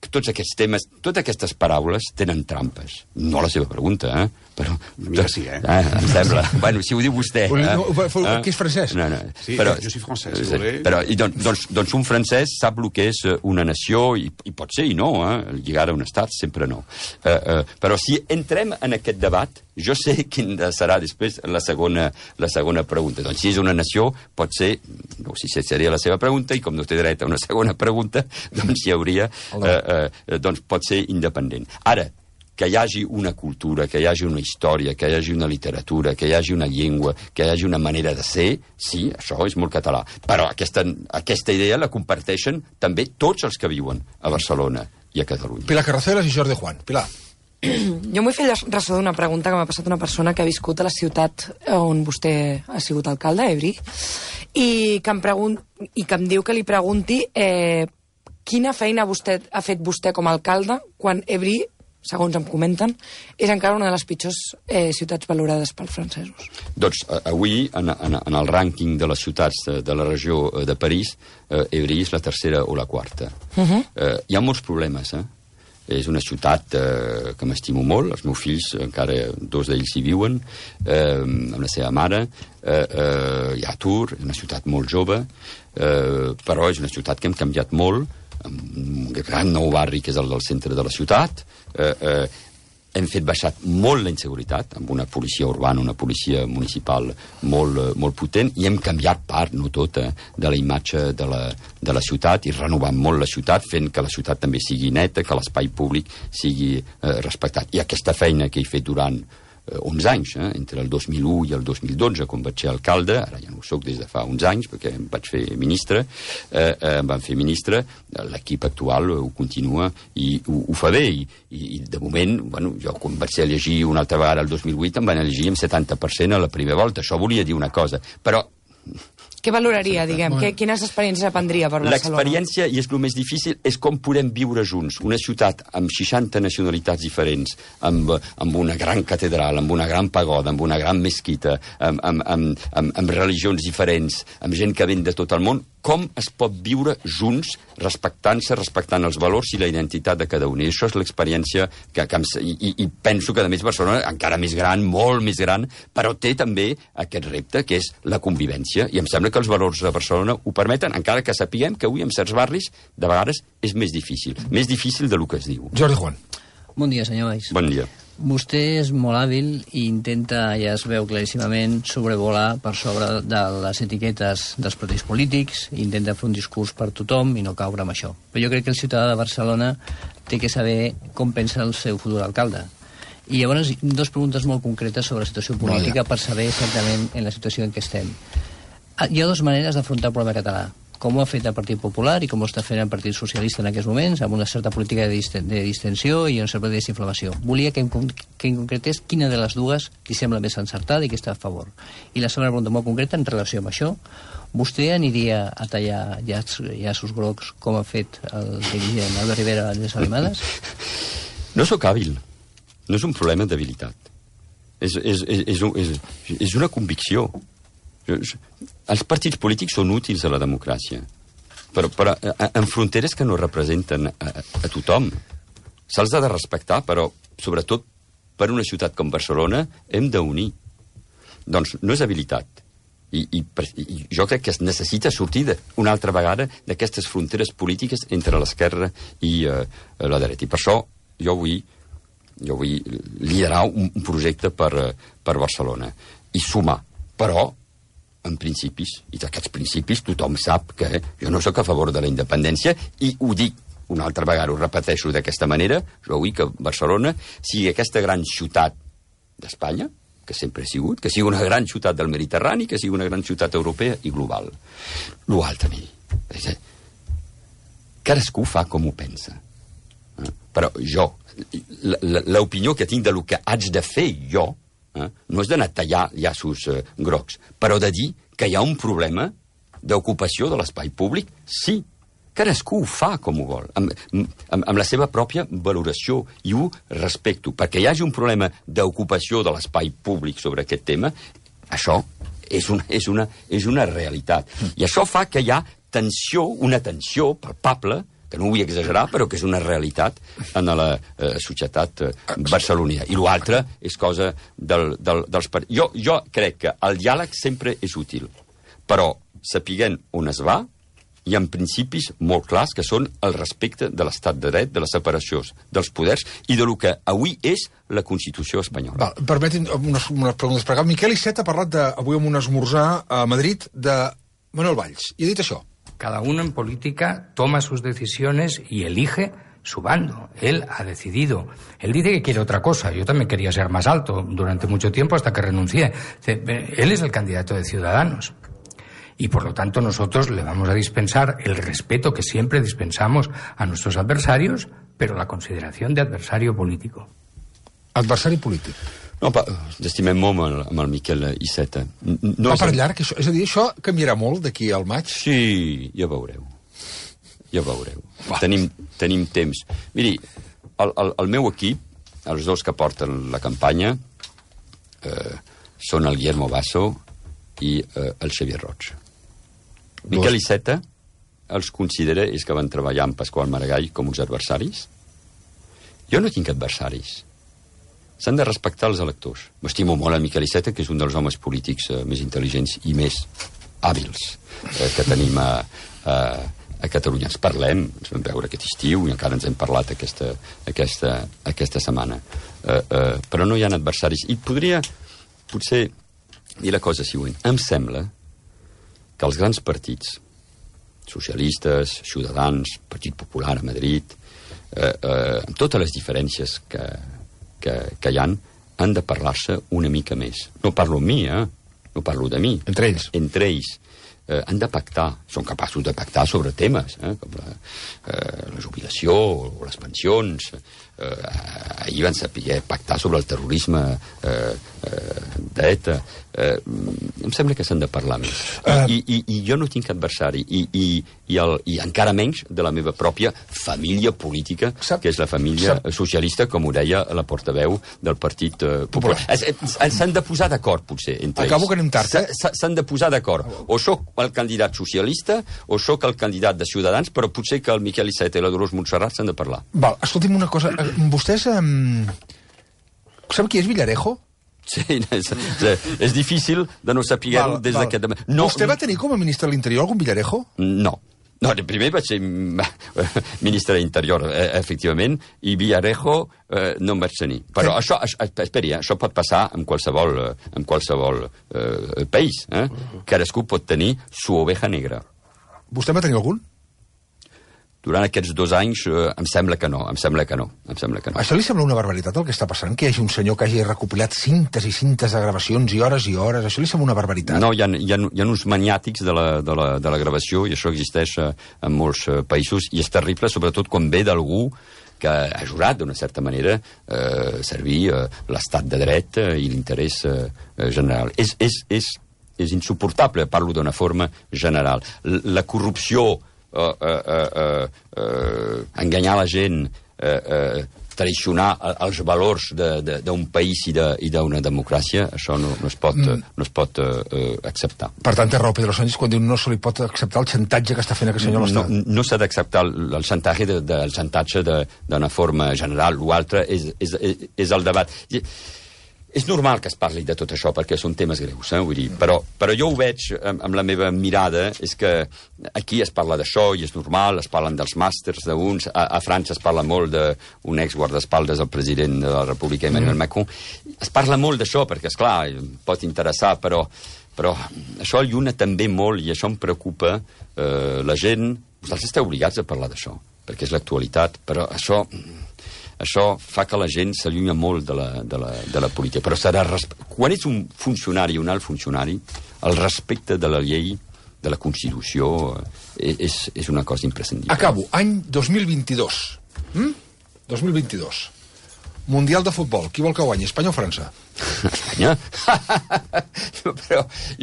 tots aquests temes, totes aquestes paraules tenen trampes. No la seva pregunta, però... Mira, sí, em sembla. Bueno, si ho diu vostè... Que és francès? No. Sí, però, jo soy francès, si voleu. Però, doncs un francès sap el que és una nació, i pot ser i no, lligar a un estat sempre no. Però si entrem en aquest debat, jo sé quin serà després la segona pregunta. Doncs si és una nació, pot ser, no sé si seria la seva pregunta, i com no té dret a una segona pregunta, doncs hi hauria, doncs pot ser independent. Ara, que hi hagi una cultura, que hi hagi una història, que hi hagi una literatura, que hi hagi una llengua, que hi hagi una manera de ser, sí, això és molt català. Però aquesta idea la comparteixen també tots els que viuen a Barcelona i a Catalunya. Pilar Carracelas i Jordi Juan. Pilar. Jo m'ho he fet ressò d'una pregunta que m'ha passat una persona que ha viscut a la ciutat on vostè ha sigut alcalde, Évry, i que em diu que li pregunti quina feina ha fet vostè com a alcalde quan Évry, segons em comenten, és encara una de les pitjors ciutats valorades pels francesos. Doncs avui, en el rànquing de les ciutats de la regió de París, Évry és la tercera o la quarta. Hi ha molts problemes, És una ciutat que m'estimo molt, els meus fills, encara 2 d'ells hi viuen, amb la seva mare, hi ha Tours, és una ciutat molt jove, però és una ciutat que hem canviat molt, amb un gran nou barri que és el del centre de la ciutat, hem fet baixar molt la inseguretat, amb una policia urbana, una policia municipal molt potent, i hem canviat part, no tota, de la imatge de la ciutat, i renovant molt la ciutat, fent que la ciutat també sigui neta, que l'espai públic sigui respectat. I aquesta feina que he fet durant 11 anys, entre el 2001 i el 2012, quan vaig ser alcalde, ara ja no ho soc des de fa uns anys, perquè em vaig fer ministre, em van fer ministre, l'equip actual ho continua i ho fa bé, i de moment, bueno, jo quan vaig ser a llegir una altra vegada el 2008, em van elegir amb 70% a la primera volta, això volia dir una cosa, però... Què valoraria, diguem? Quines experiències aprendria per Barcelona? L'experiència, i és el més difícil, és com podem viure junts. Una ciutat amb 60 nacionalitats diferents, amb una gran catedral, amb una gran pagoda, amb una gran mesquita, amb religions diferents, amb gent que ven de tot el món, com es pot viure junts respectant-se, respectant els valors i la identitat de cada un. I això és l'experiència i penso que, a més, Barcelona, encara més gran, molt més gran, però té també aquest repte, que és la convivència, i em sembla que els valors de Barcelona ho permeten, encara que sapiguem que avui en certs barris, de vegades, és més difícil del que es diu. Jordi Juan. Bon dia, senyor Valls. Bon dia. Vostè és molt hàbil i intenta, ja es veu claríssimament, sobrevolar per sobre de les etiquetes dels partits polítics, intenta fer un discurs per tothom i no caure amb això. Però jo crec que el ciutadà de Barcelona té que saber com pensa el seu futur alcalde. I llavors, 2 preguntes molt concretes sobre la situació política per saber exactament en la situació en què estem. Hi ha 2 maneres d'afrontar el problema català. Com ho ha fet el Partit Popular i com ho està fent el Partit Socialista en aquests moments, amb una certa política de distensió i una certa desinflamació. Volia que em concretés quina de les dues li sembla més encertada i que està a favor. I la segona pregunta molt concreta en relació amb això. Vostè aniria a tallar llaços grocs com ha fet el dirigent Albert Rivera a les Alemades? No sóc hàbil. No és un problema d'habilitat. És una convicció. Els partits polítics són útils a la democràcia, però en fronteres que no representen a tothom. Se'ls ha de respectar, però sobretot per una ciutat com Barcelona hem d'unir. Doncs no és habilitat. I jo crec que es necessita sortir una altra vegada d'aquestes fronteres polítiques entre l'esquerra i la dreta. I per això jo vull liderar un projecte per Barcelona i sumar, però en principis, i d'aquests principis tothom sap que jo no sóc a favor de la independència, i ho dic una altra vegada, ho repeteixo d'aquesta manera, jo vull que Barcelona sigui aquesta gran ciutat d'Espanya, que sempre ha sigut, que sigui una gran ciutat del Mediterrani, que sigui una gran ciutat europea i global. L'altre, miri, cadascú fa com ho pensa. Però jo, l'opinió que tinc del que haig de fer jo, no és d'anar a tallar llaços grocs, però de dir que hi ha un problema d'ocupació de l'espai públic, sí, cadascú ho fa com ho vol, amb la seva pròpia valoració, i ho respecto, perquè hi hagi un problema d'ocupació de l'espai públic sobre aquest tema, això és una realitat. I això fa que hi ha tensió, una tensió palpable, que no vull exagerar, però que és una realitat en la societat barcelonina. I l'altre és cosa dels... Jo crec que el diàleg sempre és útil, però sapiguent on es va, hi ha principis molt clars que són el respecte de l'estat de dret, de la separació dels poders i de lo que avui és la Constitució espanyola. Permetin unes preguntes per acá. Miquel Iceta ha parlat avui en un esmorzar a Madrid de Manuel Valls i ha dit això. Cada uno en política toma sus decisiones y elige su bando. Él ha decidido. Él dice que quiere otra cosa. Yo también quería ser más alto durante mucho tiempo hasta que renuncié. Él es el candidato de Ciudadanos. Y por lo tanto nosotros le vamos a dispensar el respeto que siempre dispensamos a nuestros adversarios, pero la consideración de adversario político. Adversari polític. No, estimem molt amb el Miquel Iceta. Va per llarg, això? És a dir, això canviarà molt d'aquí al maig? Sí, ja veureu. Ja veureu. Tenim temps. Miri, el meu equip, els dos que porten la campanya, són el Guillermo Basso i el Xavier Roig. Miquel Iceta els considera, és que van treballar amb Pasqual Maragall com uns adversaris. Jo no tinc adversaris. S'han de respectar els electors. M'estimo molt el Miquel Iceta, que és un dels homes polítics més intel·ligents i més hàbils que tenim a Catalunya. Ens parlem, ens vam veure aquest estiu i encara ens hem parlat aquesta setmana. Però no hi ha adversaris. I podria, potser, dir la cosa següent. Em sembla que els grans partits, socialistes, Ciutadans, Partit Popular a Madrid, amb totes les diferències que hi han de parlar-se una mica més. No parlo amb mi, no parlo de mi. Entre ells. Entre ells. Han de pactar, són capaços de pactar sobre temes, com la jubilació o les pensions. Ahir van saber pactar sobre el terrorisme d'ETA. Em sembla que s'han de parlar més. I jo no tinc adversari, i encara menys de la meva pròpia família política, que és la família socialista, com ho deia la portaveu del Partit Popular. S'han de posar d'acord, potser, entre ells. Acabo que anem tard. S'han de posar d'acord. O soc el candidat socialista o sóc el candidat de Ciutadans, però potser que el Miquel Iceta i la Dolors Montserrat s'han de parlar. Val, escolti'm una cosa. Vostès... Sap qui és Villarejo? Sí, és difícil de no saber-ho des d'aquest... Vostè va tenir com a ministre de l'Interior algun Villarejo? No. No, primer vaig ser ministre d'Interior, efectivament, i Villarejo no em vaig tenir. Però això, esperi, això pot passar en qualsevol país. Cadascú pot tenir su oveja negra. Vostè va tenir algun? Durant aquests 2 anys em sembla que no. Això li sembla una barbaritat el que està passant? Que hi hagi un senyor que hagi recopilat cintes i cintes de gravacions i hores, això li sembla una barbaritat? No, hi ha uns maniàtics de la gravació, i això existeix en molts països, i és terrible, sobretot quan ve d'algú que ha jurat, d'una certa manera, servir l'estat de dret i l'interès general. És insuportable, parlo d'una forma general. La corrupció, enganyar la gent, traicionar els valors d'un país i d'una democràcia, això no es pot acceptar. Per tant, té raó Pedro Sánchez quan diu no se li pot acceptar el xantatge que està fent aquest senyor a l'Estat. No s'ha d'acceptar el xantatge d'una forma general. L'altre és el debat. És normal que es parli de tot això, perquè són temes greus, vull dir, però jo ho veig amb la meva mirada, és que aquí es parla d'això i és normal, es parlen dels màsters d'uns, a França es parla molt d'un ex-guardaespaldes del president de la República, Emmanuel Macron. Es parla molt d'això, perquè, esclar, pot interessar, però això alluna també molt, i això em preocupa. La gent, vosaltres esteu obligats a parlar d'això, perquè és l'actualitat, però això fa que la gent s'allunya molt de la política. Però quan ets un funcionari, un alt funcionari, el respecte de la llei, de la Constitució, és una cosa imprescindible. Acabo. Any 2022. 2022. Mundial de futbol. Qui vol que guanyi, Espanya o França? Espanya?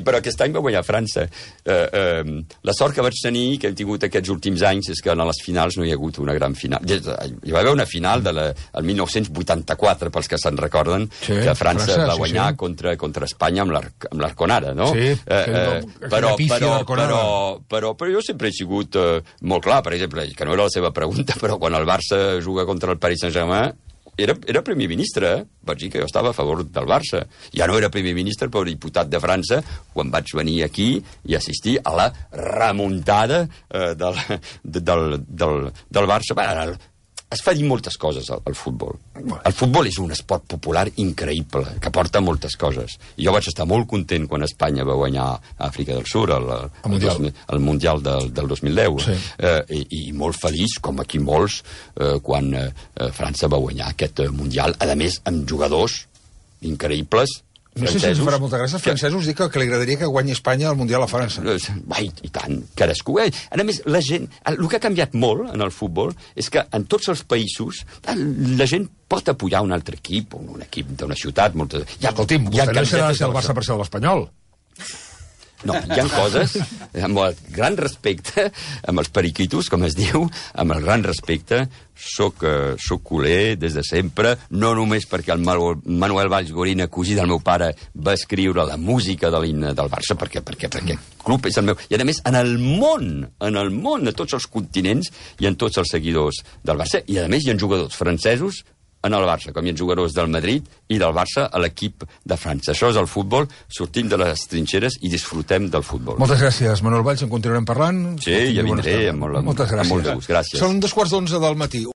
però aquest any va guanyar França. La sort que vaig tenir, que hem tingut aquests últims anys, és que a les finals no hi ha hagut una gran final. Hi va haver una final el 1984, pels que se'n recorden, que França va guanyar contra Espanya amb l'Arconada, no? Sí, però jo sempre he sigut molt clar, per exemple, que no era la seva pregunta, però quan el Barça juga contra el Paris Saint-Germain, era primer ministre, vaig dir que jo estava a favor del Barça. Ja no era primer ministre, però diputat de França, quan vaig venir aquí i assistir a la remuntada del Barça. Es fa dir moltes coses al futbol. El futbol és un esport popular increïble, que porta moltes coses. I jo vaig estar molt content quan Espanya va guanyar a Àfrica del Sud, el Mundial del 2010. I molt feliç, com aquí molts, quan França va guanyar aquest Mundial, a més amb jugadors increïbles. No sé si ens farà molta gràcia. Els francesos dic que li agradaria que guanyi Espanya al Mundial a França. I tant, cadascú. A més, la gent... El que ha canviat molt en el futbol és que en tots els països la gent pot apoyar un altre equip, un equip d'una ciutat. Escolti'm, vostè no serà el Barça per ser l'Espanyol. No, hi ha coses, amb el gran respecte, amb els periquitos, com es diu, amb el gran respecte, soc culer des de sempre, no només perquè el Manuel Valls Gorina, cosí del meu pare, va escriure la música de l'himne del Barça, perquè el club és el meu... I a més, en el món, a tots els continents, hi ha tots els seguidors del Barça, i a més hi ha jugadors francesos en el Barça, com hi ha jugadors del Madrid i del Barça a l'equip de França. Això és el futbol, sortim de les trinxeres i disfrutem del futbol. Moltes gràcies, Manuel Valls, en continuarem parlant. Sí, ja vindré, amb molt de gust. Gràcies. Són 11:15 del matí.